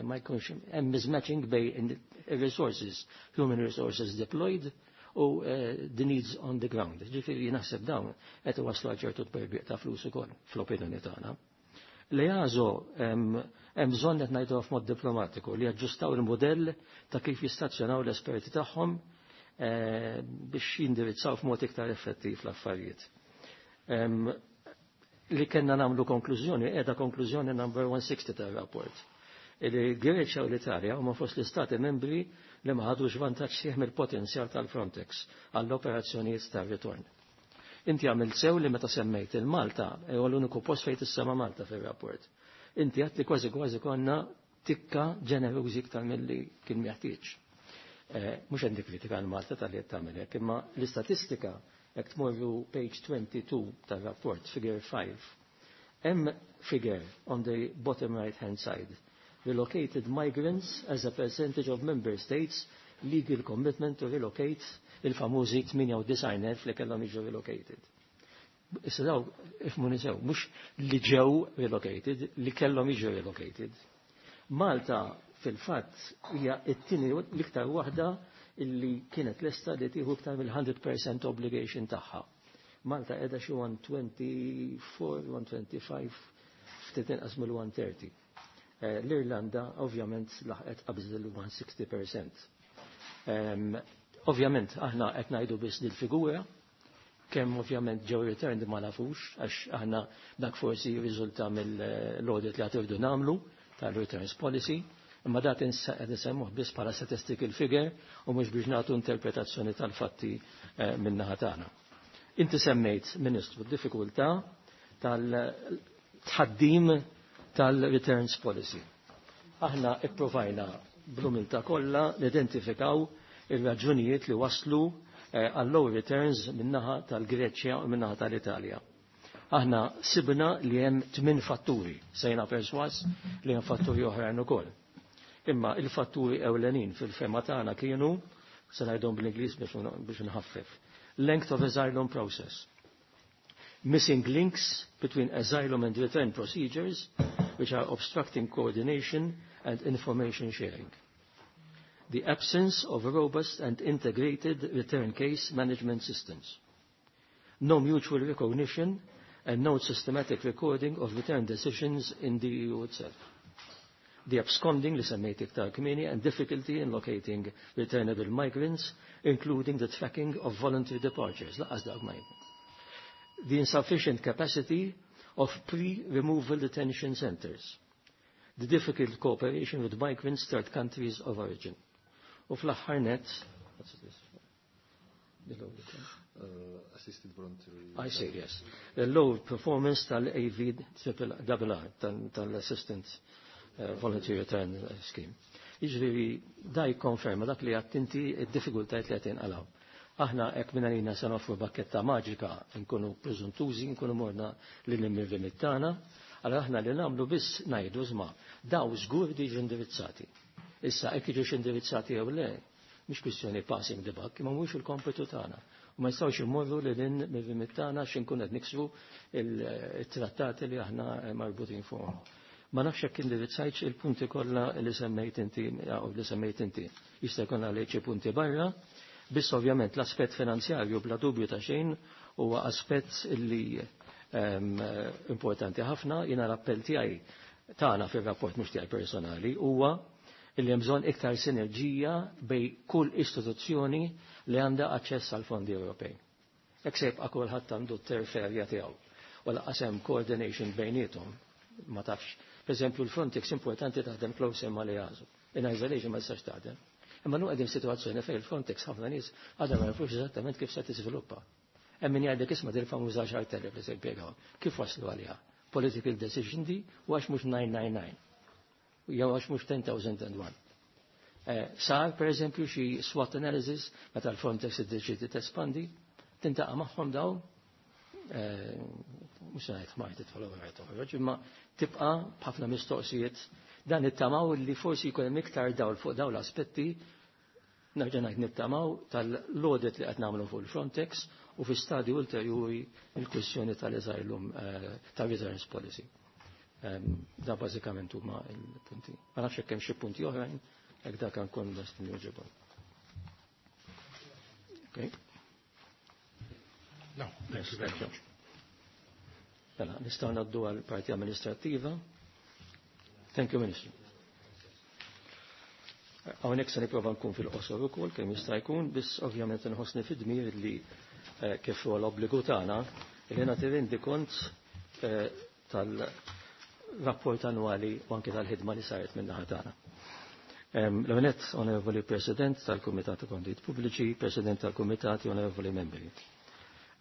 Ma jkunx hemm mismatching bejn resources, human resources deployed u the needs on the ground. Ġifieri naħseb dawn qed iwasslu għal ċertu tberbiq ta' flus ukoll fl-opinjoni tagħna. L-EASO hemm bżonn, qed ngħidu f'mod diplomatiku, li jaġġustaw il-modell ta' kif jistazzjonaw l-esperti tagħhom biex jindirizzaw f'mod iktar effettiv l-affarijiet. Li kellna nagħmlu konklużjoni, qiegħda konklużjoni number one sixty tar-rapport. Il-Greċja u l-Italja huma fost l-istati membri li ma ħadux vantaġġ sħiħ mill-potenzjal tal-Frontex għall-operazzjonijiet tar-ritorn. Inti għamilt sew li meta semmejt il-Malta, u l-uniku post fejn tissema Malta fil-rapport. Inti għedt li kważi kważi konna tikka ġenerużi iktar mill-li kien meħtieġ. Mhux għandi kritika għal Malta tal-li tagħmel hekk, imma l-istatistika, jekk tmorru page twenty-two tar-rapport, figure five, hemm figure on the bottom right hand side. Relocated migrants as a percentage of member states legal commitment to relocate, il-famużi tmienja u disgħin elf li kellhom jiġu relocated. Issa daw, ifhmuni sew, mhux li ġew relocated, li kellhom jiġu relocated. Malta fil-fatt hija t-tieni l-iktar waħda illi kienet lesta li tieħu iktar mill-mija fil-mija obligation tagħha. Malta qiegħda xi one twenty-four, one twenty-five, ftit inqas mill-one thirty. L-Irlanda ovvjament laħqet qabżet il-one sixty percent. Ovvjament aħna qed ngħidu biss dil-figura, kemm ovvjament ġew returned ma nafux, għax aħna dak forsi jirriżulta mill-audit li għad nagħmlu tal-returns policy, imma dat qed insemmuh biss bħala statistical figure u mhux biex nagħtu interpretazzjoni tal-fatti min-naħa tagħna. Inti semmejt, Ministru, d-diffikultà tal-tħaddim tal-returns policy. Aħna ipprovajna bl-umiltà kollha nidentifikaw ir-raġunijiet li waslu għal low returns min-naħa tal-Greċja u min-naħa tal-Italja. Aħna sibna li hemm tmien fatturi, sejna perswas li hemm fatturi oħrajn ukoll. Imma il-fatturi ewlenin fil-fehma tagħna kienu, se ngħidhom bl-Ingliż biex nħaffef: length of asylum process, missing links between asylum and return procedures which are obstructing coordination and information sharing, the absence of robust and integrated return case management systems, no mutual recognition and no systematic recording of return decisions in the E U itself, the absconding li semmejt iktar kmieni and difficulty in locating returnable migrants, including the tracking of voluntary departures. Lanqas dak ma The insufficient capacity of pre-removal detention centers, the difficult cooperation with migrants' third countries of origin. U fl-aħħar net, what's this? Below the Uh, assisted voluntary. I see, yes. The low performance tal-A V R R, tal-Assistant uh, Voluntary Return Scheme. Jiġifieri da jikkonferma dak li għedt inti id-diffikultajiet li qed jinqalgħu. Aħna hekk minn għalina se noffru bakketta maġika nkunu preżuntużi, nkunu morna lil mir-remit tagħna, allora aħna li nagħmlu biss ngħidu żma daw żgur diġu indirizzati. Issa hekk jiġux indirizzati jew le, mhix kwistjoni passing the buck, imma mhux il-kompitu tagħna. U ma jistgħux imorru lil hinn mir-remit tagħna x'inkun qed niksru il-trattati li aħna marbutin fuqhom. Ma nafx jekk indirizzajtx il-punti kollha li semmejt inti jew li semmejt inti. Jista' jkun għalejk xi punti barra, biss ovvjament l-aspett finanzjarju bla dubju ta' xejn huwa aspett li um, importanti ħafna. Jiena l-appell tiegħi tagħna fir-rapport mhux tiegħi personali huwa illi hemm bżonn iktar sinerġija bej kull istituzzjoni li għandha aċċess għal fondi Ewropej. Hekk se jibqa' kulħadd għandu t-turf area tiegħu. U lanqas hemm coordination bejniethom, ma tafx. Per eżempju, l-Frontex importanti taħdem close ma li jażu. In isolation ma tistax taħdem. Imma nu qegħdin situazzjoni fejn il-Frontex ħafna nies għadha ma jafux eżattament kif se tiżviluppa. Hemm min jgħidlek isma' dil famuża għaxart elef li se jimpjegaw. Kif waslu għaliha? Political decision di u għax mhux tmien mija u disgħa u disgħin jew għax mhux għaxart elef u wieħed. Eh, sar per eżempju xi SWOT analysis meta l-Frontex iddeċiedi tespandi, tintaqa' magħhom dawn, eh, mhux se ngħid ħmar tidħol u toħroġ, imma tibqa' b'ħafna mistoqsijiet. Dan nittamaw li forsi jkun hemm iktar dawl fuq dawn l-aspetti, nerġa' ngħid nittamaw tal-audit li qed nagħmlu fuq il-Frontex u fi stadju ulterjuri il-kwistjoni tal-asylum eh, tal-returns policy. Da bażikament huma l-punti. Ma nafx hekk hemm xi punti oħrajn, hekk dak nkun lest nwieġibhom. Okay. No, thank you very much. Mela, nistgħu ngħaddu għal parti amministrattiva. Thank you, Minister. Hawnhekk se nipprova nkun fil-qosor ukoll kemm jista' jkun, biss ovvjament inħossni fid-dmir li eh, kif huwa l-obbligu tagħna li nagħti rendikont eh, tal-rapport annwali u anke tal-ħidma li saret minn naħa tagħna. L-għonet, Onorevoli President tal-Kumitat ta' Kontijiet Pubbliċi, President tal-Kumitati, Onorevoli Membri.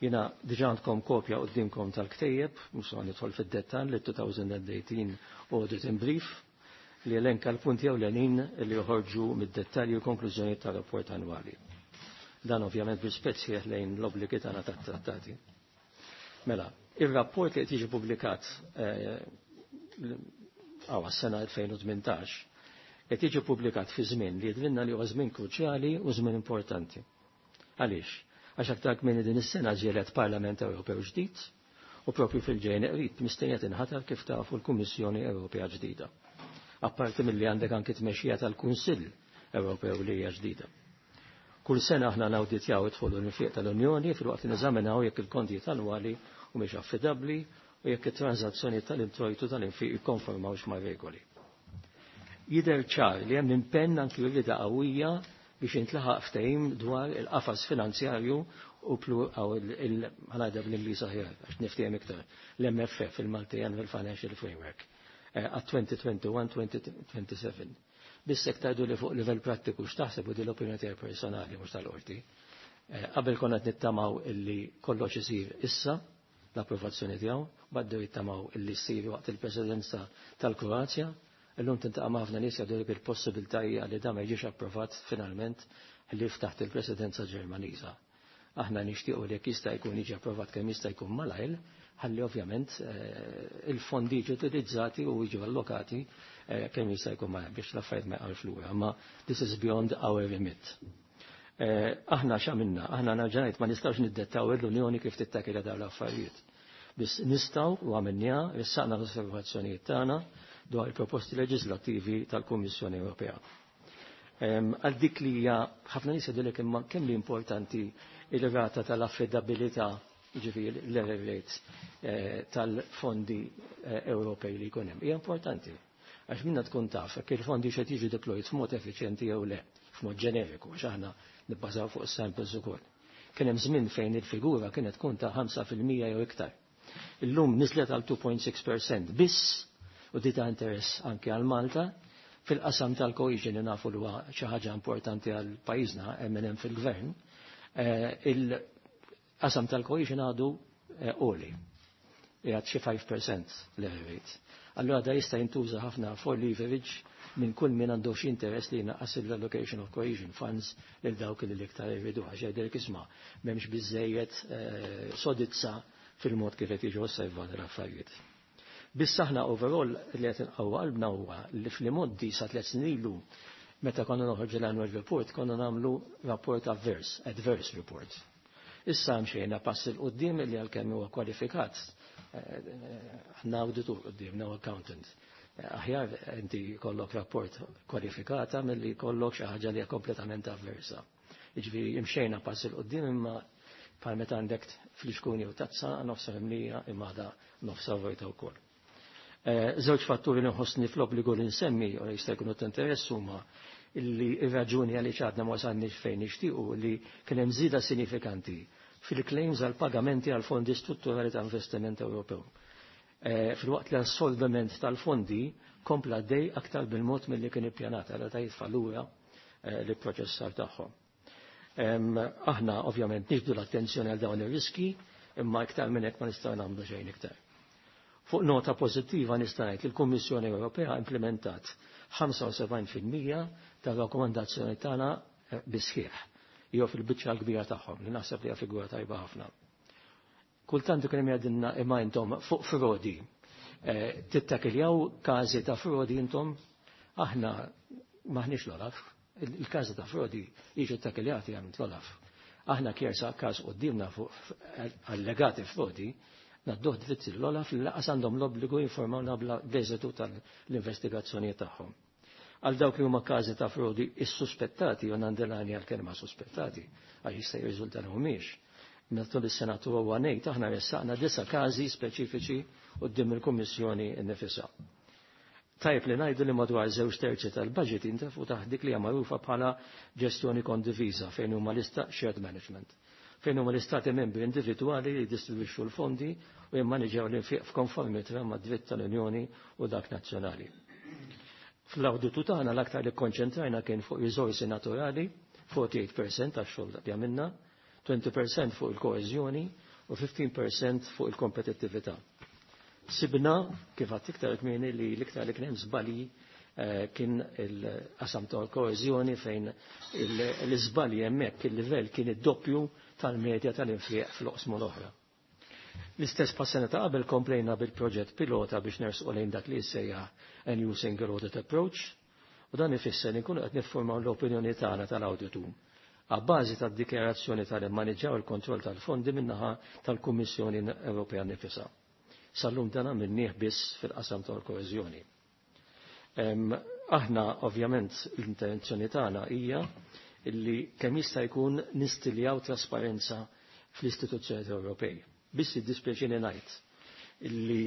Jiena diġà għandkom kopja qudiemkom tal-ktejjeb, mhux se nidħol fid-dettall, li twenty eighteen Audit in Brief, li elenka l-punti ewlenin li joħorġu mid-dettalji u konklużjoni tal-rapport annwali. Dan ovvjament b'rispett sħiħ lejn l-obbligi tagħna tat-trattati. Mela, ir-rapport li qed jiġi pubblikat għaw s-sena elfejn u tmintax qed jiġi pubblikat fi żmien li jidrinna li huwa żmien kruċjali u żmien importanti. Għaliex? Għax aktar minn din is-sena ġielet Parlament Ewropew ġdid u propju fil-ġejn qrib mistennija tinħatar kif tafu l-Kummissjoni Ewropea ġdida. Apparti milli għandek anki tmexxija tal-Kunsill Ewropew li hija ġdida. Kull sena aħna nawditjaw id-dħul u l-infiq tal-Unjoni filwaqt li neżaminaw jekk il-kontijiet annwali humiex affidabbli u jekk it-transazzjoni tal-introjtu tal-infiq jikkonformawx ma' regoli. Jidher ċar li hemm impenn anki rida qawwija biex intlaħaq ftehim dwar il-qafas finanzjarju u plu għaw il-ħanajda bl-Ingliż aħjar għax niftehim iktar l-M F F, il-Multi Annual Financial Framework, eh, għat-elfejn u wieħed u għoxrin-elfejn u tmien u għoxrin. Biss hekk tgħidu li fuq livell prattiku x'taħseb u di l-opinjoni tiegħi personali mhux tal-qorti. Eh, qabel konna qed nittamaw illi kollox isir issa l-approvazzjoni tiegħu, bdew jittamaw illi ssir waqt il-presidenza tal-Kroazja. Illum tintaqa' ma' ħafna nies jgħidu il-possibilità hija li dan ma jiġix approvat finalment li taħt il-presidenza Ġermaniża. Aħna nixtiequ li jekk jista' jkun jiġi approvat kemm jista' jkun malajr, ħalli ovvjament eh, il-fondi jiġu utilizzati u jiġu allokati eh, kemm jista' jkun malajr biex l-affarijiet ma jqgħux lura. Ma this is beyond our remit. Eh, aħna x'għamilna? Aħna nerġa' ngħid ma nistgħux niddettaw l-Unjoni kif tittakilha dawn l-affarijiet. Biss nistgħu u għamilniha, ressaqna l-osservazzjonijiet tagħna dwar il-proposti leġislattivi tal-Kummissjoni Ewropea. Għal dik li hija ħafna nies jgħidulek imma kemm li importanti il-rata tal-affidabilità, ġifieri l-error rates eh, tal-fondi eh, Ewropej li jkun hemm. Hija importanti. Għax minna tkun taf jekk il-fondi xed jiġu deployed f'mod effiċjenti jew le, f'mod ġeneriku, għax aħna nibbażaw fuq samples ukoll. Kien hemm żmien fejn il-figura kienet tkun ta' ħamsa fil-mija jew iktar. Illum niżlet għal tnejn punt sitta fil-mija biss u di ta' interess anke għal Malta fil-qasam tal-cohesion li nafu li huwa xi ħaġa importanti għal pajjiżna hemm fil-gvern, eh, il-qasam tal-cohesion għadu għoli. Qiegħed xi five percent l-error rate. Allura da jista' jintuża ħafna for leverage minn kull min għandu xi interess li jnaqqas l-allocation of cohesion funds lil dawk li l-iktar jridu, għax jgħidilek, isma', m'hemmx biżejjed eh, sodizza fil-mod kif qed jiġu osservati l-affarijiet. Biss aħna overall li qed inqawwa qalbna huwa li fl-imgħoddi, sa tliet snin ilu, meta konna noħorġu l-annual report, konna nagħmlu rapport adverse, adverse report. Issa mxejna pass 'il quddiem li għalkemm huwa kwalifikat, għandna auditur quddiemna u accountant. Aħjar inti kollok rapport kwalifikata milli kollok xi ħaġa li hija kompletament avversa. Jiġifieri imxejna pass 'il quddiem, imma bħal meta għandek flixkuni u tazza, nofsa mimlija imma għada nofsa vojta wkoll. Eh, żewġ fatturi li nħossni fl-obbligu li nsemmi u li jista' jkunu ta' interess huma illi ir-raġuni għaliex għadna ma wasalniex fejn nixtiequ li kien hemm żieda sinifikanti fil-claims għal pagamenti għal fondi strutturali ta' investiment Ewropew. Eh, Filwaqt li assorbiment tal-fondi kompla dej aktar bil-mod mill-li kien ippjanat għal ta' jitfa' lura eh, li proċessar tagħhom. Aħna ovvjament niġbdu l-attenzjoni għal dawn ir-riski, imma iktar minn hekk ma nistgħu nagħmlu xejn iktar. Fuq nota pożittiva nista' ngħid li l-Kummissjoni Ewropea implementat ħamsa u sebgħin fil-mija tar-rakkomandazzjoni tagħna eh, bisħieħ jew fil-biċċa l-kbira tagħhom, li naħseb li hija figura tajba ħafna. Kultant ikun hemm jgħidilna, imma intom fuq frodi eh, tittakiljaw każi ta' frodi intom? Aħna maħniex l-Olaf, il-każi ta' frodi jiġu takiljati għand l-Olaf. Aħna kjersa każ qudiemna fuq allegati frodi, ngħadduh dritt l-Olaf li lanqas għandhom l-obbligu jinformawna bl-eżitu tal-investigazzjoni tagħhom. Għal dawk li huma każi ta' frodi is-suspettati, u nandilani għal kelma suspettati, għax jista' jirriżulta li mhumiex. Matul is-sena ngħid aħna ressaqna disa' każi speċifiċi quddiem il-Kummissjoni nnifisha. Tajb li ngħidu li madwar żewġ terzi tal-budget jintafu taħt dik li hija magħrufa bħala ġestjoni kondiviża, fejn huma lista shared management, fejn huma l-istati membri individwali li jdistribwixxu l-fondi u jimmaniġjaw l-infiq f'konformità mad-dritt tal-Unjoni u dak nazzjonali. Fl-awditu tagħna l-aktar li konċentrajna kien fuq riżorsi naturali, erbgħa u erbgħin fil-mija tax-xogħol li għamilna, għoxrin fil-mija fuq il-koeżjoni u ħmistax fil-mija fuq il-kompetittività. Sibna, kif għedt iktar kmieni, li l-iktar li kien hemm żbalji eh, kien il-qasam tal-koeżjoni, fejn l-iżbalji hemmhekk il-livell kien id-doppju tal-medja tal-infiq fl-oqsmu l-oħra. L-istess pas-sena ta' qabel komplejna bil-proġett pilota biex nersqu lejn dak li jissejjaħ a New Single Audit Approach, u dan ifisser li nkunu qed niffurmaw l-opinjoni tagħna tal-awditu għabbażi tad-dikjarazzjoni tal-immaniġġaw il-kontroll tal-fondi min-naħa tal-Kummissjoni Ewropea nifisha. Sal-lum dan għamilnieh biss fil-qasam tal-koeżjoni. Aħna ovvjament l-intenzjoni tagħna hija illi kemm jista' jkun nistiljaw trasparenza fl-istituzzjoni Ewropej. Biss iddispjaċini ngħid illi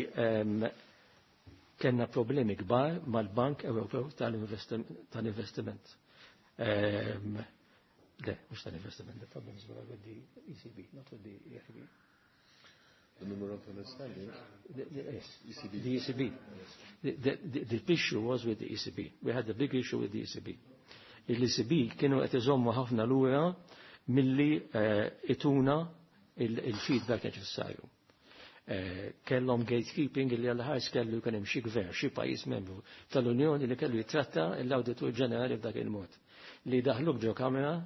kellna problemi kbar mal-Bank Ewropew tal-Investiment. Le, mhux tal-investiment, the problems were with the E C B, not with the E I B. The memorandum of understanding? The, the, yes, E C B. The E C B. The, the, the, the issue was with the E C B. We had a big issue with the E C B. Il-E C B kienu qed iżommu ħafna lura milli uh, ituna il-feedback neċessarju. Eh, kellhom gatekeeping li għal-ħars kellu jkun hemm xi gvern, xi pajjiż membru tal-Unjoni li kellu jitratta l-Awditur Ġenerali f'dak il-mod. Li daħluk ġo kamera,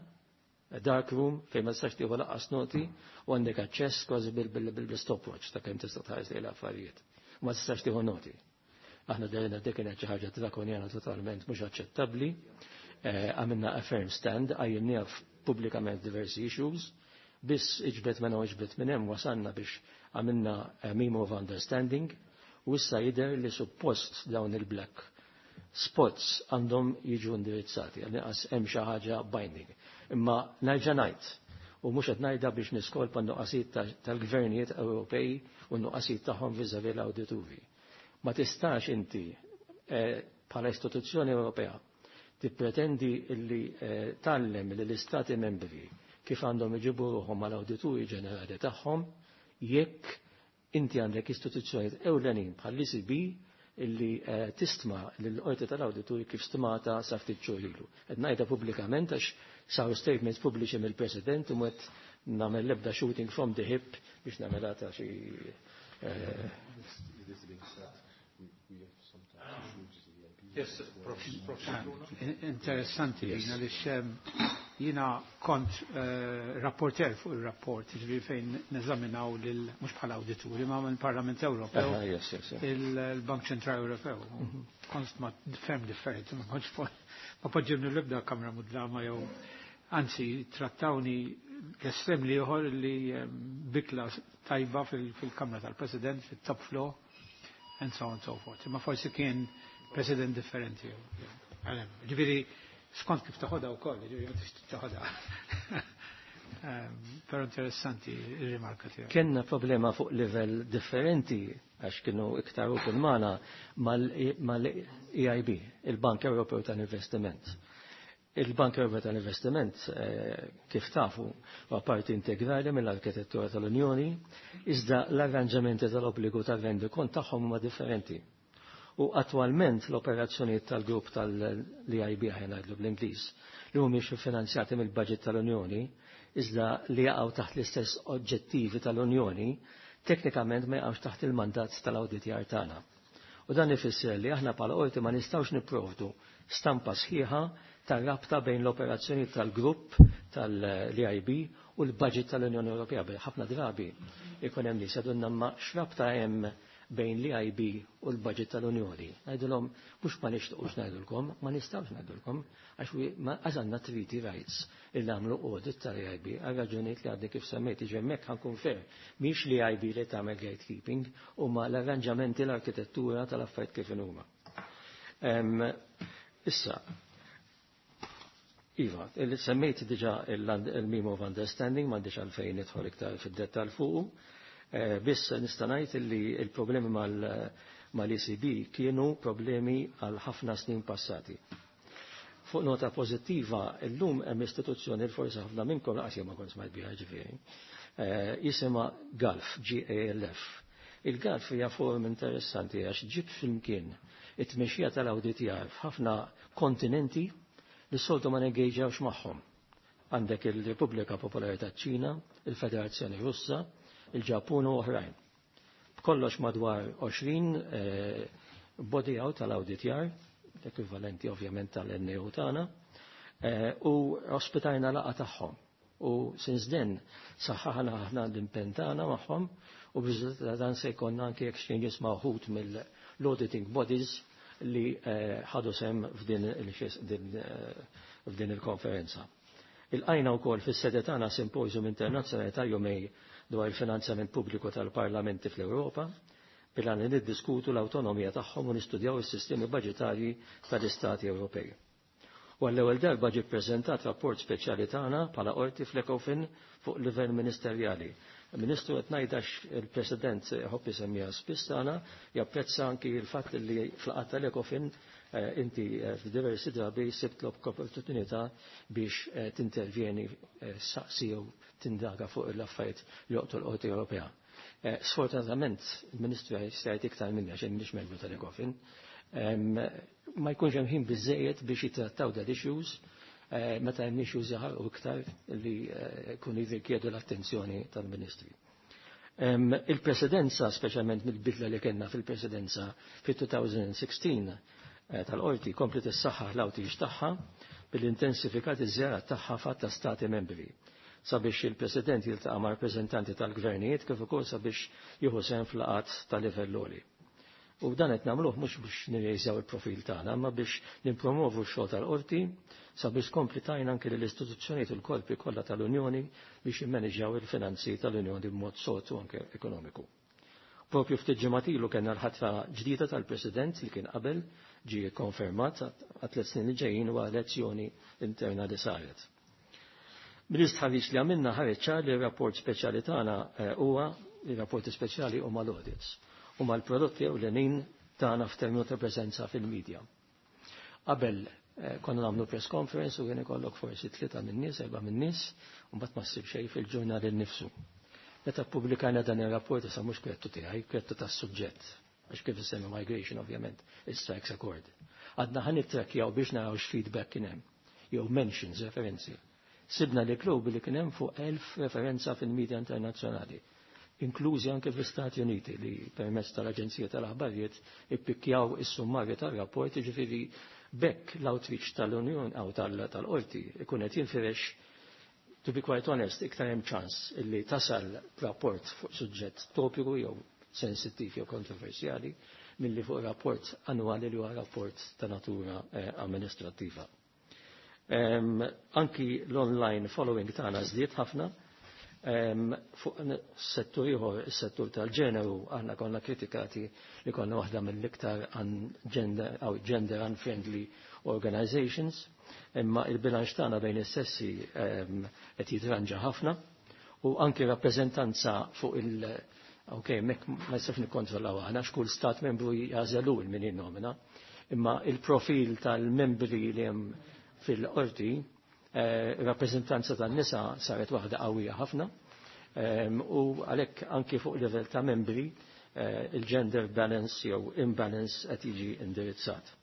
dark room, fejn ma tistax tieħu lanqas noti u għandek aċċess kważi bil-stopwatch ta' kemm tista' tħares lejn l-affarijiet. Ma tistax tieħu noti. Aħna derina dik kienet xi ħaġa drakonjana, totalment mhux aċċettabbli. Eh, għamilna a firm stand, għajjimniha pubblikament diversi issues, biss iġbet minn u iġbet minn hemm wasanna biex għamilna memo of understanding, u issa jidher li suppost dawn il-black spots għandhom jiġu indirizzati, għal hemm xi ħaġa binding. Imma nerġa' ngħid, u mhux qed ngħidha biex niskolpa n-nuqqasijiet tal-gvernijiet Ewropej u n-nuqqasijiet tagħhom vis-à-vis l-awdituri. Ma tistax inti eh, bħala istituzzjoni Ewropea tippretendi illi eh, tgħallem li l-istati membri kif għandhom iġibu ruħhom mal-awdituri ġenerali tagħhom jekk inti għandek istituzzjonijiet ewlenin bħall-E C B illi eh, tistma l-qorti tal-awdituri kif stmata sa ftit xhur ilu. Qed ngħidha pubblikament għax saru statements pubbliċi mill-President u qed nagħmel l-ebda shooting from the hip biex nagħmel ta' xi Yes, Prof. Prof. Interessanti, jiena li jiena kont rapporter fuq il-rapport, ġifieri fejn neżaminaw lil mhux bħala awdituri ma mill-Parlament Ewropew, il-Bank Ċentrali Ewropew. Kont ma ferm differenti, ma kontx ma poġġibni l-ebda kamra mudlama jew anzi trattawni l-estrem li ieħor li bikla tajba fil-kamra tal-President, fit-top floor, and so on and so forth. Ma forsi kien president differenti. Ġifieri, skont kif taħodha wkoll, ġifieri ma tix taħodha. Però interessanti ir-rimarka tiegħek. Kenna problema fuq livell differenti għax kienu iktar ukoll magħna mal-E I B, il-Bank Ewropew tal-Investiment. Il-Bank Ewropew tal-Investiment, kif tafu, huwa parti integrali mill-arkitettura tal-Unjoni, iżda l-arranġamenti tal-obbligu tal-rendikont tagħhom huma differenti. U attwalment l-operazzjonijiet tal-grupp tal-E I B, ħa ngħidlu bl-Ingliż, li mhumiex finanzjati mill-budget tal-Unjoni, iżda li jaqgħu taħt l-istess oġġettivi tal-Unjoni, teknikament ma jaqgħux taħt il-mandat tal-awditjar tagħna. U dan ifisser li aħna bħala qorti ma nistgħux nipprovdu stampa sħiħa tar-rabta bejn l-operazzjoni tal-grupp tal-E I B u l-budget tal-Unjoni Ewropea. Ħafna drabi ikun hemm nies jgħidulna, ma x'rabta hemm bejn l-E I B u l-budget tal-Unjoni? Ngħidulhom mhux ma nixtiequx ngħidulkom, ma nistgħux ngħidulkom għax għandna treaty rights il nagħmlu audit tal-E I B għal raġunijiet li għadni kif semmejt. Ġi hemmhekk ħa nkun fair. Mhix l-E I B li tagħmel gatekeeping, huma l-arranġamenti, l-arkitettura tal-affarijiet kif huma. Issa, iva, semmejt diġa il-Memo of Understanding, m'għandix għalfejn nidħol iktar fid-dettal fuqu. Biss nista' ngħid li il-problemi mal-E C B kienu problemi għal ħafna snin passati. Fuq nota pożittiva, illum hemm istituzzjoni li forsi ħafna minnkom laqas ma kont smajt biha, ġifieri. Jisimha GALF, G A L F. Il-GALF hija forum interessanti għax ġib flimkien it-tmexxija tal-awditjar f'ħafna kontinenti li s-soltu ma nengaġawx magħhom. Għandek il-Repubblika Popolari taċ-Ċina, il-Federazzjoni Russa, il-Ġappun u oħrajn. B'kollox madwar għoxrin eh, body out tal-awditjar, ekvivalenti ovvjament tal-N A O tagħna, eh, u ospitajna laqgħa tagħhom. U since then saħħaħna aħna l-impenn tagħna magħhom u b'riżultat dan se jkollna anke exchanges ma' wħud mill-auditing bodies li eh, ħadu sem f'din f'din il-konferenza. Ilqajna wkoll fis-sede tagħna simposium internazzjonali ta' jumejn dwar il-finanzjament pubbliku tal-parlamenti fl-Ewropa, bil-għan li niddiskutu l-awtonomija tagħhom u nistudjaw is-sistemi budġetarji tal-Istati Ewropej. U għall-ewwel darba ġie ppreżentat rapport speċjali tagħna bħala qorti fl-Ecofin fuq livell ministerjali. Ministru qed ngħidax, il-President ħobb isemmija spiss tagħna, japprezza anki l-fatt li fl-qatt tal-Ecofin inti f'diversi drabi sibt l-opportunità biex tintervjeni, saqsi jew tindaga fuq l-affarijiet li joqtu l-Qorti Ewropea. Sfortunatament, il-Ministru jgħid iktar minni għax m'iniex membru tal-Ecofin, ma jkunx hemm ħin biżejjed biex jittrattaw dal issues meta hemm issues jaħarqu iktar li jkunu jirrikjedu l-attenzjoni tal-Ministri. Il-presidenza, speċjalment mill-bidla li kellna fil-presidenza fit-elfejn u sittax tal-qorti, komplet is-saħħa l-outreach tagħha bil-intensifikat iż-żjarat tagħha f'għadd ta' stati membri sabiex il-President jiltaqa' ma' rappreżentanti tal-gvernijiet kif ukoll sabiex jieħu sehem f'laqgħat ta' livell għoli. U dan qed nagħmluh mhux biex nirrejżjaw il-profil tagħna, imma biex nippromovu x-xogħol tal-qorti sabiex tkompli tgħin anke lill-istituzzjonijiet u l-korpi kollha tal-Unjoni biex jimmaneġġjaw il-finanzi tal-Unjoni b'mod sod u anke ekonomiku. Propju ftit ġimgħat ilu kellna l-ħatra ġdida tal-President li kien qabel ġie konfermat għat tliet snin li ġejjin u elezzjoni interna li saret. Mill-istħarriġ li għamilna ħareġ ċar li r-rapport speċjali tagħna huwa ir-rapporti speċjali huma l-audits, huma l-prodotti ewlenin tagħna f'terminu ta' preżenza fil-medja. Qabel konna nagħmlu press conference u kien ikollok forsi tlieta min-nies, erba' min-nies, u mbagħad ma ssib xejn fil-ġurnal innifsu. Meta ppubblikajna dan ir-rapport, issa mhux krettu tiegħi, krettu tas-suġġett, għax kif isemmi migration ovvjament it strikes a chord. Għadna ħa nittrackjaw biex naraw x'feedback kien hemm, jew mentions, referenzi. Sibna li globally kien hemm fuq elf referenza fil-medja internazzjonali. inklużi anke fl-Istati Uniti li permezz tal-Aġenzija tal-Aħbarijiet ippikjaw is-summarju tar-rapport, jiġifieri bekk l-outreach tal-Unjoni aw tal-Qorti ikun qed jinfirex. To be quite honest, iktar hemm ċans illi tasal rapport fuq suġġett topiku jew sensittiv jew kontroversjali milli fuq rapport annwali li huwa rapport ta' natura eh, amministrattiva. Um, anki l-online following tagħna żdied ħafna. Um, fuq settur ieħor, is-settur tal-ġeneru, aħna konna kritikati li konna waħda mill-iktar gender, gender unfriendly organizations, imma il-bilanċ tagħna bejn is-sessi qed jitranġa ħafna u anki rappreżentanza fuq il- ok, mek ma jistax nikkontrollaw aħna x'kull stat membru jażelu l min jinnomina, imma il-profil tal-membri li hemm fil-qorti, eh, rappreżentanza tan-nisa saret waħda qawwija ħafna, u għalhekk anki fuq livell ta' membri eh, il-gender balance jew imbalance qed jiġi indirizzat.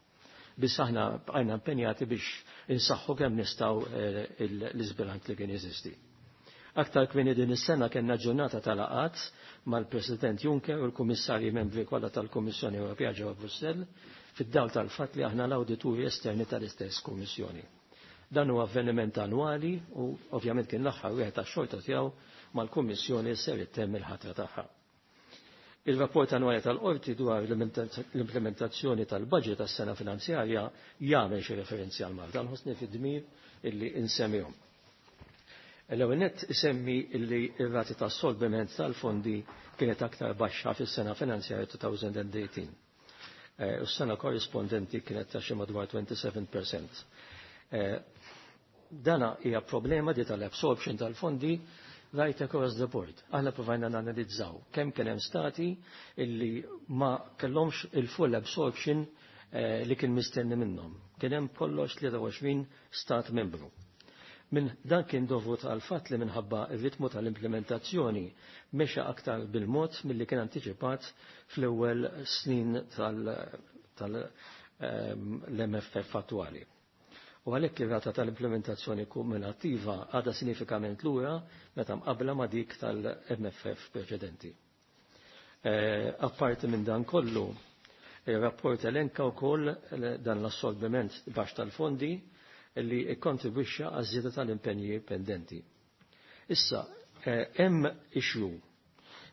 Biss aħna bqajna impenjati biex insaħħu kemm nistgħu eh, l-iżbilanċ li kien jeżisti. Aktar kmieni din is-sena kellna ġurnata tal-laqgħat mal-President Juncker u l-Kummissarji membri kollha tal-Kummissjoni Ewropea ġewwa Brussell fid-dawl tal-fatt li aħna l-awdituri esterni tal-istess Kummissjoni. Dan huwa avveniment annwali u ovvjament kien l-aħħar wieħed tax-xorta tiegħu mal-Kummissjoni ser ittemm il-ħatra tagħha. Il-rapport annwali tal-Qorti dwar l-implementazzjoni tal-budget tas-sena finanzjarja jagħmel xi referenzi għal Malta, nħossni fid-dmir illi insemmihom. L-ewwel nett isemmi illi r-rati tas-solviment tal-fondi kienet aktar baxxa fis-sena finanzjarja twenty eighteen. U s-sena korrispondenti kienet ta' xi madwar twenty-seven percent. Dana hija problema di tal-absorption tal-fondi right across the board. Aħna provajna nanalizzaw kemm kien hemm stati illi ma kellhomx il-full absorption eh, li kien mistenni minnhom. Kien hemm kollox tlieta u għoxrin stat membru. Min dan kien dovut għal fatt li minħabba ir-ritmu tal-implementazzjoni mexa aktar bil-mod milli kien antiċipat fl-ewwel snin tal-M F F attwali. U għalhekk ir-rata tal-implementazzjoni kumulattiva għadha sinifikament lura meta mqabbla ma' dik tal-M F F preċedenti. Eh, apparti minn dan kollu, il-rapport elenka wkoll dan l-assorbiment baxx tal-fondi li ikkontribwixxa għaż-żieda tal-impenji pendenti. Issa, eh, hemm issue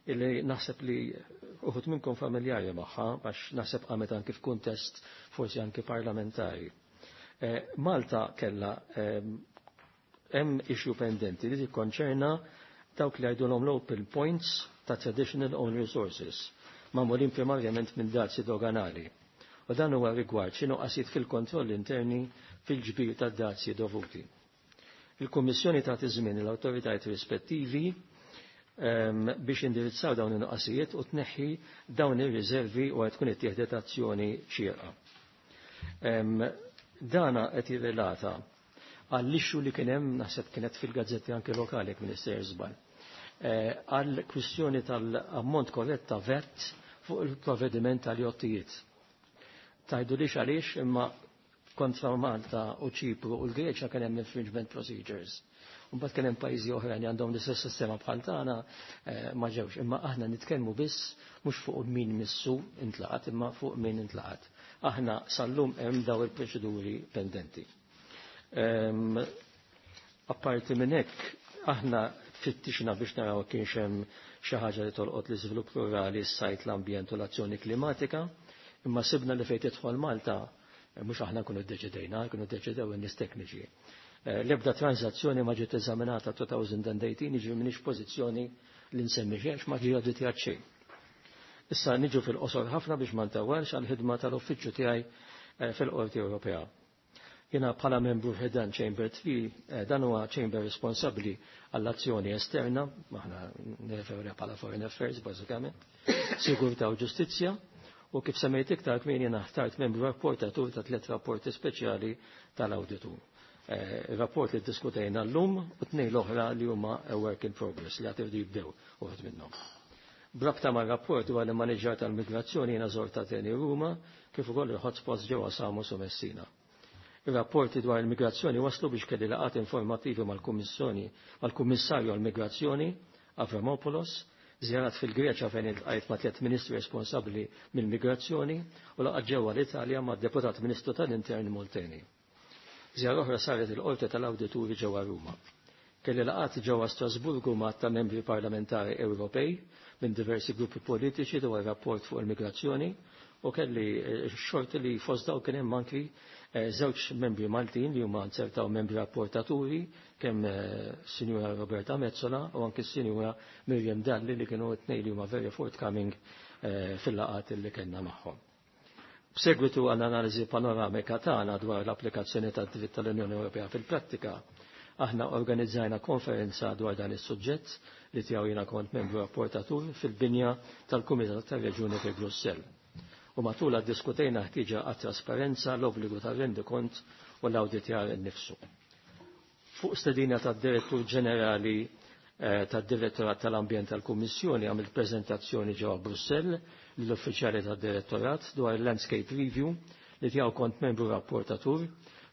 illi naħseb li uħud minnkom familjari magħha, għax naħseb qamet anki f'kuntest forsi anki parlamentari. Eh, Malta kella hemm issue pendenti li tikkonċerna dawk li jgħidulhom local points ta' traditional own resources, magħmulin primarjament minn dazzi doganali. U dan huwa rigward xi nuqqasijiet fil-kontroll interni fil-ġbir ta' dazzi dovuti. Il-Kummissjoni tagħti żmien l-awtoritajiet rispettivi ehm, biex indirizzaw dawn in-nuqqasijiet u tneħħi dawn ir-riservi u qed tkun ittieħdet azzjoni xierqa. Ehm, dana qed jirrelata għall-issue li kien hemm, naħseb kienet fil-gazzetti anke lokali jekk Minister żball. Eh, għall kwistjoni tal-ammont korrett ta' VAT fuq il-provvediment tal-jottijiet. Tajdu lix għaliex, imma kontra Malta u Ċipru u l-Greċja kien hemm infringement procedures. Mbagħad kien hemm pajjiżi oħra li għandhom l-istess sistema bħal tagħna eh, ma ġewx. Imma aħna nitkellmu biss mhux fuq min missu intlaqat imma fuq min intlaqat. Aħna sallum hemm daw il-proċeduri pendenti. Ehm, apparti minn hekk, aħna fittixna biex naraw kienx hemm xi ħaġa li tolqot l-iżvilupp rurali, s-sajt, l-ambjent u l-azzjoni klimatika, imma sibna li fejn tidħol Malta, eh, mhux aħna nkunu ddeċidejna, nkunu ddeċidew in-nies tekniċi. Eh, l-ebda transazzjoni ma ġiet eżaminata elfejn u tmintax, jiġi m'iniex pożizzjoni li nsemmi xejn ma ġie awditjat xejn. Issa niġu fil-qosor ħafna biex ma ntawwalx għall-ħidma tal-uffiċċju tiegħi eh, fil-Qorti Ewropea. Jiena bħala membru f'dan Chamber tlieta, eh, dan huwa chamber responsabbli għall-azzjoni esterna, aħna nirreferu bħala Foreign Affairs bażikament, Sigurtà u Ġustizzja, u kif semmejt iktar kmieni jiena ħtart membru rapportatur ta' tliet rapporti speċjali tal-awditur. Eh, rapport li diskutejna l-lum u tnejn l-oħra li huma a work in progress li għad jibdew uħud minnhom. B'rabta ma' rapport dwar il-maniġġar tal-migrazzjoni, jiena żort Ateni, Ruma, kif ukoll il-hotspots ġewwa Samos u Messina. Ir-rapporti dwar il-migrazzjoni waslu biex kelli laqgħat informattivi mal-Kummissjoni mal-Kummissarju għall-Migrazzjoni Avramopoulos. Żjarat fil-Greċja fejn iltqajt ma' tliet ministri responsabbli mill-migrazzjoni u laqgħat ġewwa l-Italja mad deputat Ministru tal-Intern Molteni. Żjara oħra saret il-Qorti tal-Awdituri ġewwa Ruma. Kelli laqgħat ġewwa Strasburgu ma' ta' membri parlamentari Ewropej minn diversi gruppi politiċi dwar rapport fuq il-migrazzjoni u kelli xorti li fost daw kien hemm anki żewġ membri Maltin li huma nzertaw membri rapportaturi kemm Sinjura Roberta Metsola u anki Sinjura Miriam Dalli li kienu t-tnejn li huma very forthcoming fil-laqgħat li kellna magħhom. B'segwitu għal analiżi panoramika tagħna dwar l-applikazzjoni tad-dritt tal-Unjoni Ewropea fil-prattika, aħna organizzajna konferenza dwar dan is-suġġett li tiegħu jiena kont membru rapportatur fil-binja tal-Kumitat tar-Reġjuni fi Brussell. U matula ddiskutejna ħtieġa għat-trasparenza, l-obbligu tal-rendikont u l-awditjar innifsu. Fuq stedina tad-Direttur Ġenerali tad-Direttorat tal-Ambjent tal-Kummissjoni għamilt preżentazzjoni ġewwa Brussell lill-uffiċjali tad-Direttorat dwar il-Landscape Review li tiegħu kont membru rapportatur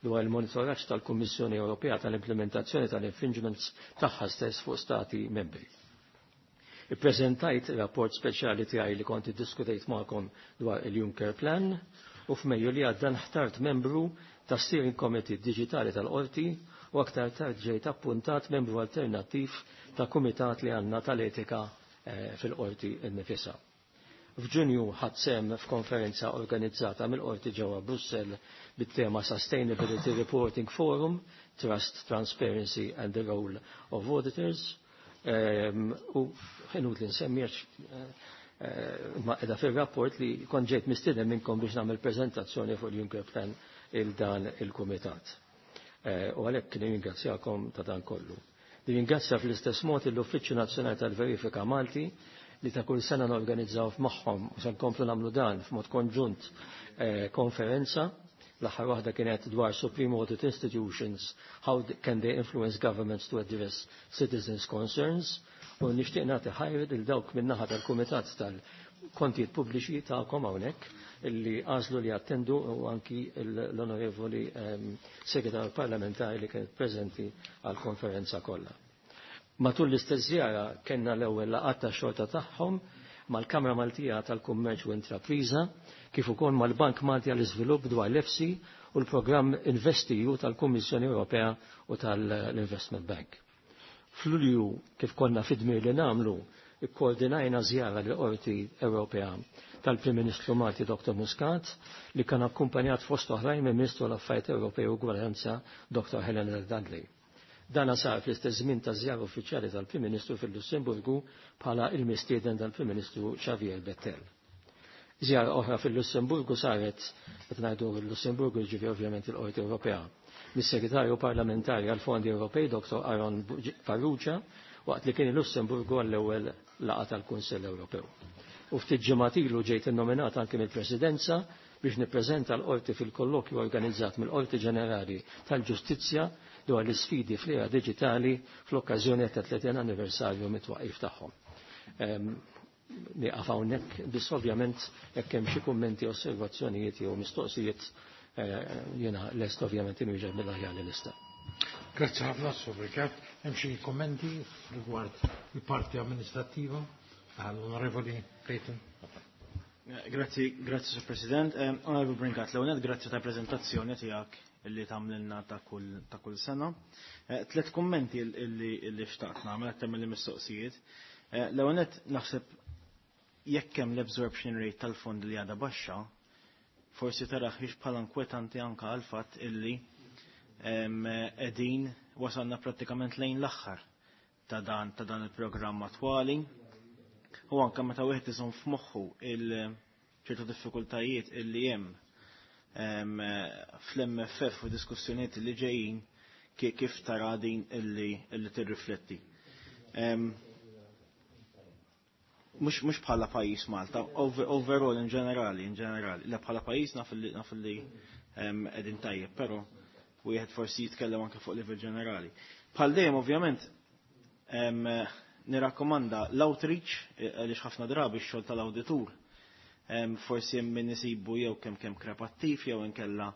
dwar il-monitoraġġ tal-Kummissjoni Ewropea tal-implementazzjoni tal-infringements tagħha stess fuq stati membri. Ippreżentajt rapport speċjali tiegħi li kont iddiskutejt magħkom dwar il-Juncker Plan u f'Mejju li għadda nħtart membru ta' Steering Committee Digitali tal-Qorti u aktar tard ġejt appuntat membru alternattiv ta' kumitat li għandna tal-etika fil-Qorti nnifisha. F'Ġunju ħadt sehem f'konferenza organizzata mill-Qorti ġewwa Brussell bit-tema Sustainability Reporting Forum, Trust, Transparency and the Role of Auditors. U ħenut li nsemmi ma qiegħda fir-rapport li kont ġejt mistieden minnkom biex nagħmel preżentazzjoni fuq il-Juncker Plan il dan il-Kumitat. U għalhekk nirringrazzjakom ta' dan kollu. Nirringrazzja fl-istess mod l-Uffiċċju Nazzjonali tal-Verifika Malti li ta' kull sena norganizzaw magħhom u se nkomplu nagħmlu dan f'mod konġunt konferenza. L-aħħar waħda kienet dwar Supreme Audit Institutions, how can they influence governments to address citizens' concerns, u nixtieq nagħti ħajr lil dawk min-naħa tal-Kumitat tal-Kontijiet Pubbliċi tagħkom hawnhekk illi għażlu li attendu u anki l-Onorevoli Segretarju Parlamentari li kienet preżenti għall-konferenza kollha. Matul l-istess żjara kellna l-ewwel laqgħat tax-xorta tagħhom mal-Kamra Maltija tal-Kummerċ u Intrapriża, kif ukoll mal-Bank Malti għall-Iżvilupp dwar l-E F S I u l-programm InvestEU tal-Kummissjoni Ewropea u tal-Investment Bank. F'Lulju, kif konna fid-dmir li nagħmlu, ikkoordinajna żjara l-Qorti Ewropea tal-Prim Ministru Malti Doktor Muscat li kien akkumpanjat fost oħrajn minn Ministru l-Affarijiet Ewropej u Ugwaljanza Doktor Helena Dalli. Dana sar fl-istess żmien ta' żjara uffiċjali tal-Prim Ministru fil-Lussemburgu bħala il-mistieden tal-Prim Ministru Xavier Bettel. Żjara oħra fil-Lussemburgu saret, qed ngħidu l-Lussemburgu jiġifieri ovvjament il-Qorti Ewropea, mis-Segretarju Parlamentari għall-Fondi Ewropej Doktor Aaron Farrugia waqt li kien il-Lussemburgu għall-ewwel laqgħa tal-Kunsill Ewropew. U ftit ġimgħat ilu ġejt innominat anke mill-Presidenza biex nippreżenta l-Qorti fil-kollokju organizzat mill-Qorti Ġenerali tal-Ġustizzja dwar l-isfidi fl-era diġitali fl-okkażjoni ta' tletin anniversarju mit-twaqif tagħhom. Nieqaf hawnhekk biss ovvjament jekk hemm xi kummenti, osservazzjonijiet jew mistoqsijiet, jiena lest ovvjament inwieġeb mill-aħjar li nista'. Grazzi ħafna, Sur Brincat. Hemm xi kummenti rigward il-parti amministrattiva? Għall-Onorevoli Clayton. Grazzi, grazzi Sur President. Onorevoli Brincat, l-ewwel grazzi ta' preżentazzjoni tiegħek illi tagħmlilna ta' kull ta' kull sena. Tlet kummenti illi illi xtaqt nagħmel aktar mill mistoqsijiet. L-ewwel nett naħseb jekk hemm l-absorption rate tal-fond li għadha baxxa, forsi taraħ bħala inkwetanti anke għal fatt illi qegħdin wasalna prattikament lejn l-aħħar ta' dan ta' dan il-programm attwali. U anke meta wieħed iżomm f'moħħu il ċertu diffikultajiet illi hemm fl-M F F u diskussjonijiet li ġejjin, kif tara din illi illi tirrifletti? Mux, mux bħala pajjiż Malta, over, overall in ġenerali, in ġenerali, le bħala pajjiż naf li naf li qegħdin tajjeb, però wieħed forsi jitkellem anke fuq livell ġenerali. Bħal dejjem ovvjament nirakkomanda l-outreach, għaliex ħafna drabi x-xogħol tal-awditur forsi hemm min isibu jew kemm kemm krepattiv jew inkella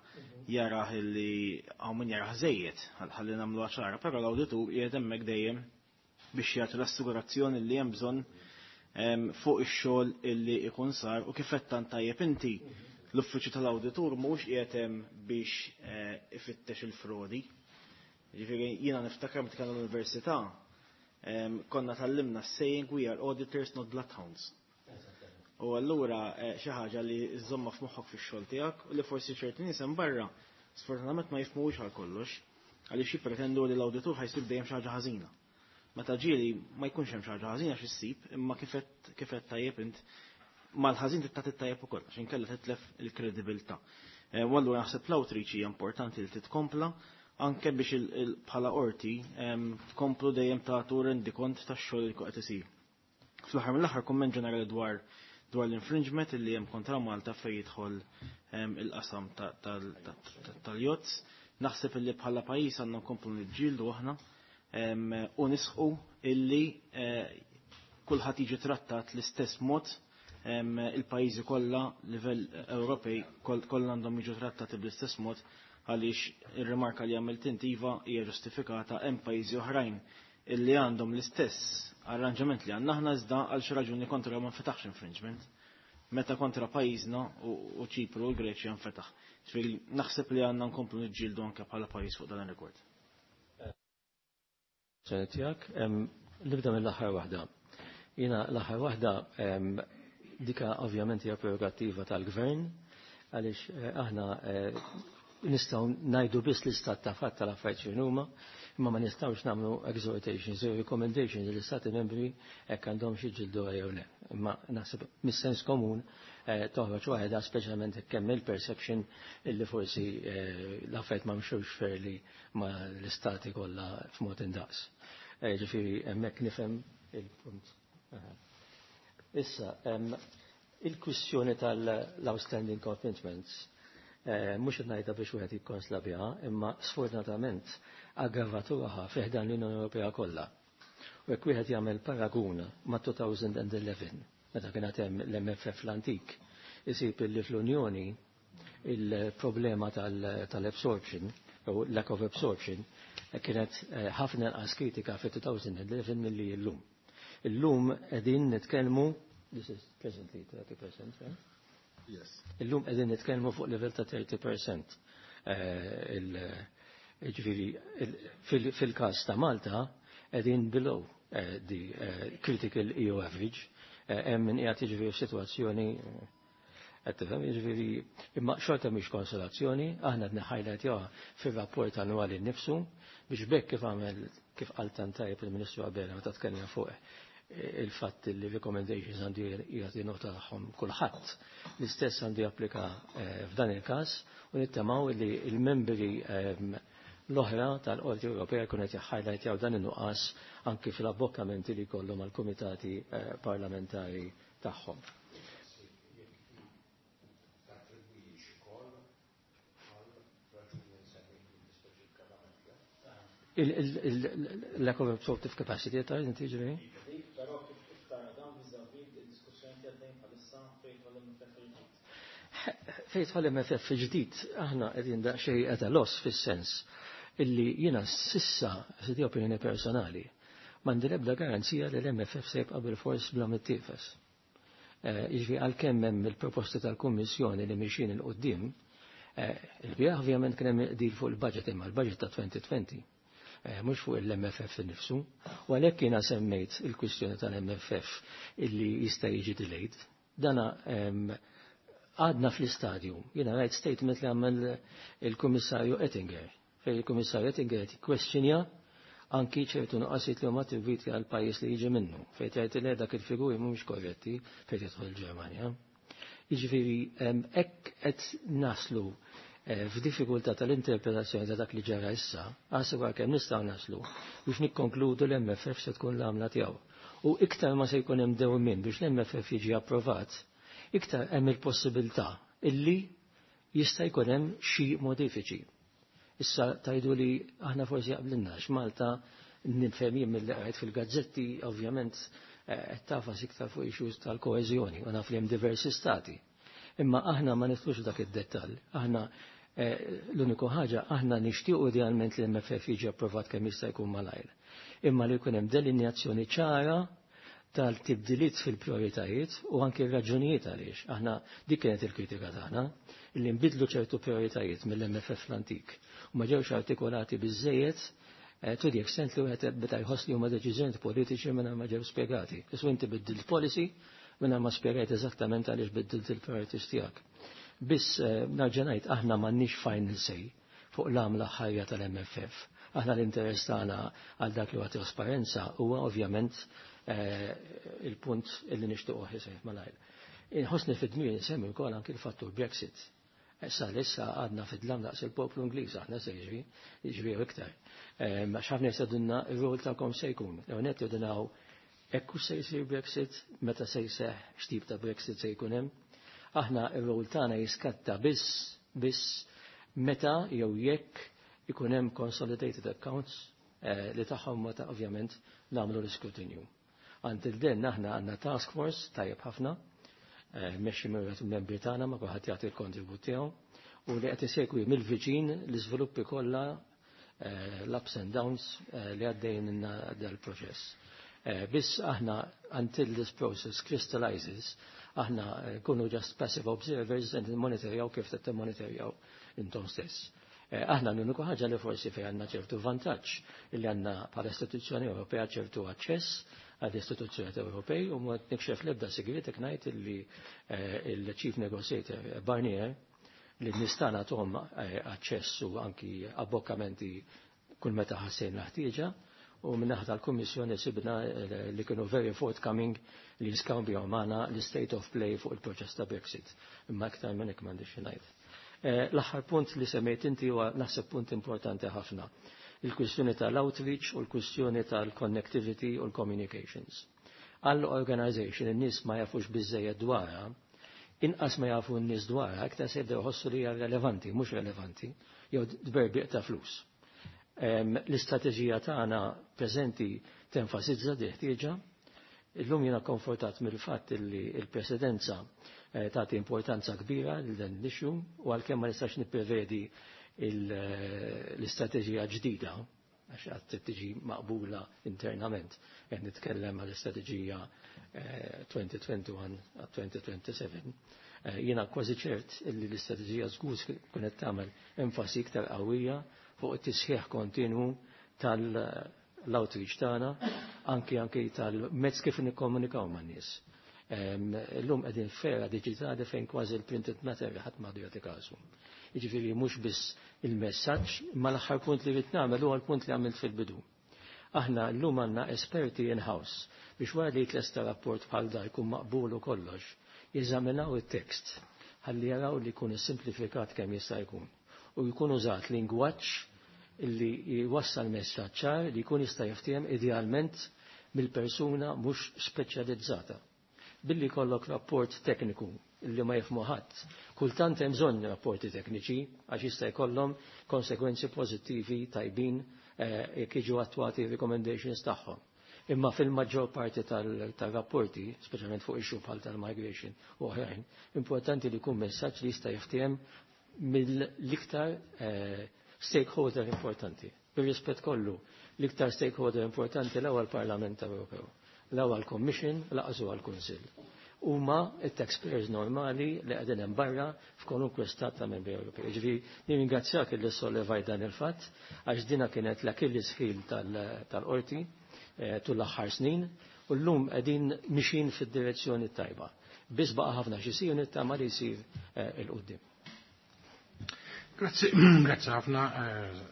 jarah illi hawn min jarah żejjed, ħalli nagħmlu ċara, però l-awditur qiegħed hemmhekk dejjem biex jagħti l-assigurazzjoni li hemm bżonn fuq ix-xogħol illi ikun sar u kif qed tant tajjeb inti l-uffiċċju tal-awditur mhux qiegħed hemm biex ifittex il-frodi. Ġifieri jiena niftakar meta kien l-università konna tallimna saying we are auditors not bloodhounds. U allura xi ħaġa li żżomma f'moħħok fix-xogħol tiegħek u li forsi ċerti nies hemm barra sfortunatament ma jifhmux għal kollox għaliex jippretendu li l-awditur ħajsib dejjem xi ħaġa ħażina. Meta ġieli ma jkunx hemm xi ħaġa ħażina xi ssib, imma kif qed tajjeb int mal-ħażin trid tajjeb ukoll għax inkella titlef il-kredibilità. U allura naħseb l-outreach hija importanti li titkompla anke biex bħala qorti tkomplu dejjem tagħtu rendikont tax-xogħol li qed isir. Fl-aħħar mill-aħħar kumment ġenerali dwar dwar l-infringement illi hemm kontra Malta fejn jidħol il-qasam tal-jotz. Naħseb illi bħala pajjiż għandna nkomplu niġġieldu aħna u nisħu illi kulħadd jiġi trattat l-istess mod il-pajjiżi kollha livell Ewropej kollha għandhom jiġu trattati bl-istess mod għaliex ir-rimarka li għamilt inti iva hija ġustifikata hemm pajjiżi oħrajn illi għandhom l-istess arranġament li għandna aħna iżda għal xi raġuni kontra ma nfetaħx infringement. Meta kontra pajjiżna u Ċipru u l-Greċja nfetaħ. Ġifieri naħseb li għandna nkomplu niġġieldu anke bħala pajjiż fuq dan ir-rekord. Tiegħek, nibda mill-aħħar waħda. Jiena l-aħħar waħda dika ovvjament hija prerogattiva tal-gvern għaliex aħna nistgħu ngħidu biss l-istat ta' fatt tal-affarijiet x'inhuma, imma ma nistgħux nagħmlu exhortations jew recommendations lill-istati membri hekk għandhom xi ġildu jew le. Imma naħseb mis-sens komun toħroġ waħedha speċjalment hekk hemm il-perception illi forsi l-affarijiet ma mxewx fairly ma l-istati kollha f'mod indaqs. Ġifieri hemmhekk nifhem il-punt. Issa, il-kwistjoni tal-outstanding commitments mhux qed ngħidha biex wieħed jikkonsla biha, imma sfortunatament aggravatuha fih dan l-Unjoni Ewropea kollha. U jekk wieħed jagħmel paragun ma' twenty eleven, meta kien hemm l-M F F l-antik, isib li fl-Unjoni il-problema tal-absorption, u lack of absorption, kienet ħafna inqas kritika fi twenty eleven milli llum. Illum qegħdin nitkellmu, this is presently thirty percent, right? Yes. Illum qegħdin nitkellmu fuq livell ta' thirty percent. Ġifieri fil-każ ta' Malta qegħdin below the critical E U average. Hemm min qiegħed jiġifieri f'sitwazzjoni qed tifhem, jiġifieri imma xorta mhix konsolazzjoni, aħna qed niħħajlajtjawha fir-rapport annwali nnifsu biex bekk kif għamel kif qal tant tajjeb il-Ministru Abela meta tkellem fuq il-fatt li recommendations għandu jagħti nota tagħhom kulħadd. L-istess għandu japplika f'dan il-każ u nittamaw li l-membri l-oħra tal-Qorti Ewropea jkun qed jaħħajlajtjaw dan in-nuqqas anki fil-abbokkamenti li jkollhom għall-kumitati parlamentari tagħhom. Il-lack of absorptive capacity ta' inti ġifieri? Fejn jidħol M F F ġdid, aħna qegħdin daqsxejn at a loss fis-sens illi jiena sissa, se di opinjoni personali, m'għandi l-ebda garanzija li l-M F F se jibqa' bil-fors bla mittiefes. Jiġifieri għalkemm hemm il-proposti tal-Kummissjoni li mixin il quddiem, il-biegħ ovvjament kien hemm deal fuq il-budget imma l-budget ta' twenty twenty. Mhux fuq il-M F F innifsu, u għalhekk jiena semmejt il-kwistjoni tal-M F F illi jista' jiġi delayed. Dana għadna fl-istadju, jiena rajt statement li għamel il-Kummissarju Oettinger, fejn il-Kummissarju Oettinger qed jikkwestjonja anki ċertu nuqqasijiet li huma attribwiti għal pajjiż li jiġi minnu, fejn tgħid li dak il-figuri mhumiex korretti fejn jidħol il-Ġermanja. Jiġifieri hekk qed naslu f'diffikultà tal-interpretazzjoni ta' dak li ġara issa, għasib kemm nistgħu naslu biex nikkonkludu l-M F F se tkun l-għamla tiegħu. U iktar ma se jkun hemm dewmien biex l-M F F jiġi approvat, iktar hemm il-possibilità illi jista' jkun hemm xi modifiċi. Issa tajdu li aħna forsi jaqblinnax Malta nifhem jien mill-li qrajt fil-gazzetti ovvjament qed tafas iktar fuq issues tal-koeżjoni u naf li hemm diversi stati. Imma aħna ma nidħlux dak id-dettall. Aħna l-uniku ħaġa aħna nixtiequ idealment li l-M F F jiġi approvat kemm jista' jkun malajr. Imma li jkun hemm delineazzjoni ċara tal-tibdiliet fil-prioritajiet u anke r-raġunijiet għaliex. Aħna dik kienet il-kritika tagħna, illi nbidlu ċertu prioritajiet mill-M F F l-antik u ma ġewx artikolati biżejjed eh, to the extent li wieħed beda jħoss li huma deċiżjonijiet politiċi mingħajr ma ġew spjegati. Isu inti biddilt policy mingħajr ma spjegajt eżattament għaliex biddilt il-priorities tiegħek. Biss eh, nerġa' ngħid, aħna m'għandniex final say fuq l-għamla ħajja tal-M F F. Aħna l-interess tagħna għal dak li huwa trasparenza huwa ovvjament eh, il-punt illi nixtiequ iseħħ malajr. Inħossni fid-dmir nsemmi wkoll anki l-fattur Brexit. Issa issa għadna fid-dlam daqs il-poplu Ingliż aħna se jiġri, jiġri iktar. Għax ħafna jistaqsuna r-rol tagħkom se jkun. L-ewwel jgħidulna ekku se jsir Brexit, meta se jseħ, x'tip ta' Brexit se jkun hemm. Aħna r-rol tagħna jiskatta biss biss meta jew jekk ikun hemm consolidated accounts eh, li tagħhom meta ovvjament nagħmlu l-iskrutinju. Until then aħna għandna task force tajjeb ħafna, eh, mexxi minn membri tagħna, ma kulħadd jagħti l-kontribut tiegħu u li qed isegwi mill-viċin l-iżviluppi kollha, eh, l-ups and downs li għaddejn dal-proċess. Biss aħna, until this process crystallizes, aħna kunu just passive observers and monitorjaw kif qed monitorjaw intom stess. Eh, aħna l-uniku ħaġa li forsi fej għandna ċertu vantaġġ li għandna bħala istituzzjoni Ewropea ċertu aċċess għall istituzzjoni Ewropej u ma nikxef l-ebda sigriet ngħid li eh, il-Chief Negotiator Barnier li nistana tom eh, aċċess u anki abbokkamenti kull meta ħassejna ħtieġa, u min-naħa tal-Kummissjoni sibna li kienu very forthcoming li jiskambjaw magħna l-state of play fuq il-proċess ta' Brexit. Imma aktar minn hekk m'għandix ngħid. Eh, l-aħħar punt li semmejt inti huwa naħseb punt importanti ħafna. Il-kwistjoni tal-outreach u l-kwistjoni tal-connectivity u l-communications. Għall-organization in-nies ma jafux biżejjed dwarha, inqas ma jafu n-nies dwarha, aktar se jibdew jħossu li hija relevanti, mhux relevanti, jew tberbiq ta' flus. L-istrateġija tagħna preżenti tenfasizza di ħtieġa. Illum jiena konfortat mill-fatt li l-presidenza eh, tagħti importanza kbira lil dan l-issue u għalkemm ma nistax nipprevedi eh, l-istrateġija ġdida għax għad tiġi maqbula internament, qed nitkellem għall istrateġija elfejn u wieħed u għoxrin għal elfejn u seba' u għoxrin. Jiena kważi ċert illi l-istrateġija żgur tkun qed tagħmel enfasi iktar qawwija fuq it-tisħiħ kontinwu tal-outreach tagħna, anki anki tal-mezz kif nikkomunikaw man-nies. Illum qegħdin f'era diġitali fejn kważi l-printed matter ħadd m'għadu jagħti kasu. Jiġifieri mhux biss il-messaġġ, ma l-aħħar punt li rrid nagħmel huwa l-punt li għamilt fil-bidu. Aħna llum għandna esperti in-house biex wara li jitlesta rapport bħal da jkun maqbul u kollox, jeżaminaw it-tekst ħalli jaraw li jkun simplifikat kemm jista' jkun u jkun użat lingwaġġ illi jwassal messaġġ ċar li jkun jista' jiftiehem idealment mill-persuna mhux speċjalizzata. Billi kollok rapport tekniku illi ma jifhmu ħadd. Kultant hemm bżonn rapporti tekniċi għax jista' jkollhom konsekwenzi pożittivi tajbin eh, jekk jiġu attwati recommendations tagħhom. Imma fil-maġġor parti tal-rapporti, speċjalment fuq issue bħal tal-migration u oħrajn, importanti li jkun messaġġ li jista' jiftiehem mill-iktar eh, stakeholder importanti. Bir-rispett kollu, l-iktar stakeholder importanti l-ewwel Parlament Ewropew, l-ewwel Commission, lanqas għall-Kunsill. Huma it-taxpayers normali li qegħdin hemm barra f'kwalunkwe stat ta' membri Ewropej. Ġifieri nirringrazzjak li sollevajt dan il-fatt għax dina kienet l-Achilles heel tal-qorti eh, tul l-aħħar snin u llum qegħdin mixin fid-direzzjoni tajba. Biss baqa' ħafna x'isir, nittama li jsir eh, 'il quddiem. Grazzi, grazzi ħafna, eh,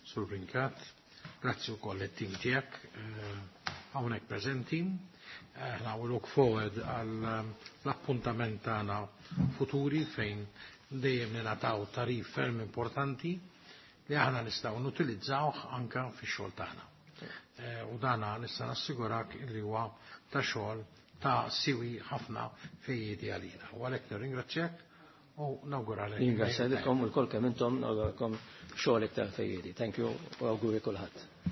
Sur Brincat. Grazzi wkoll it-tim tiegħek hawnhekk preżenti. Aħna we look forward għal l-appuntament tagħna futuri fejn dejjem ningħataw tagħrif ferm importanti li aħna nistgħu nutilizzawh anka fix-xogħol tagħna. Eh, u dana nista' nassigurak li huwa ta' xogħol ta' siwi ħafna fejjiedi għalina. U għalhekk nirringrazzjak u nawguralek. Ringrazzjakom u lkoll kemm intom, nawguralkom xogħol iktar fejjiedi. Thank you u awguri kulħadd.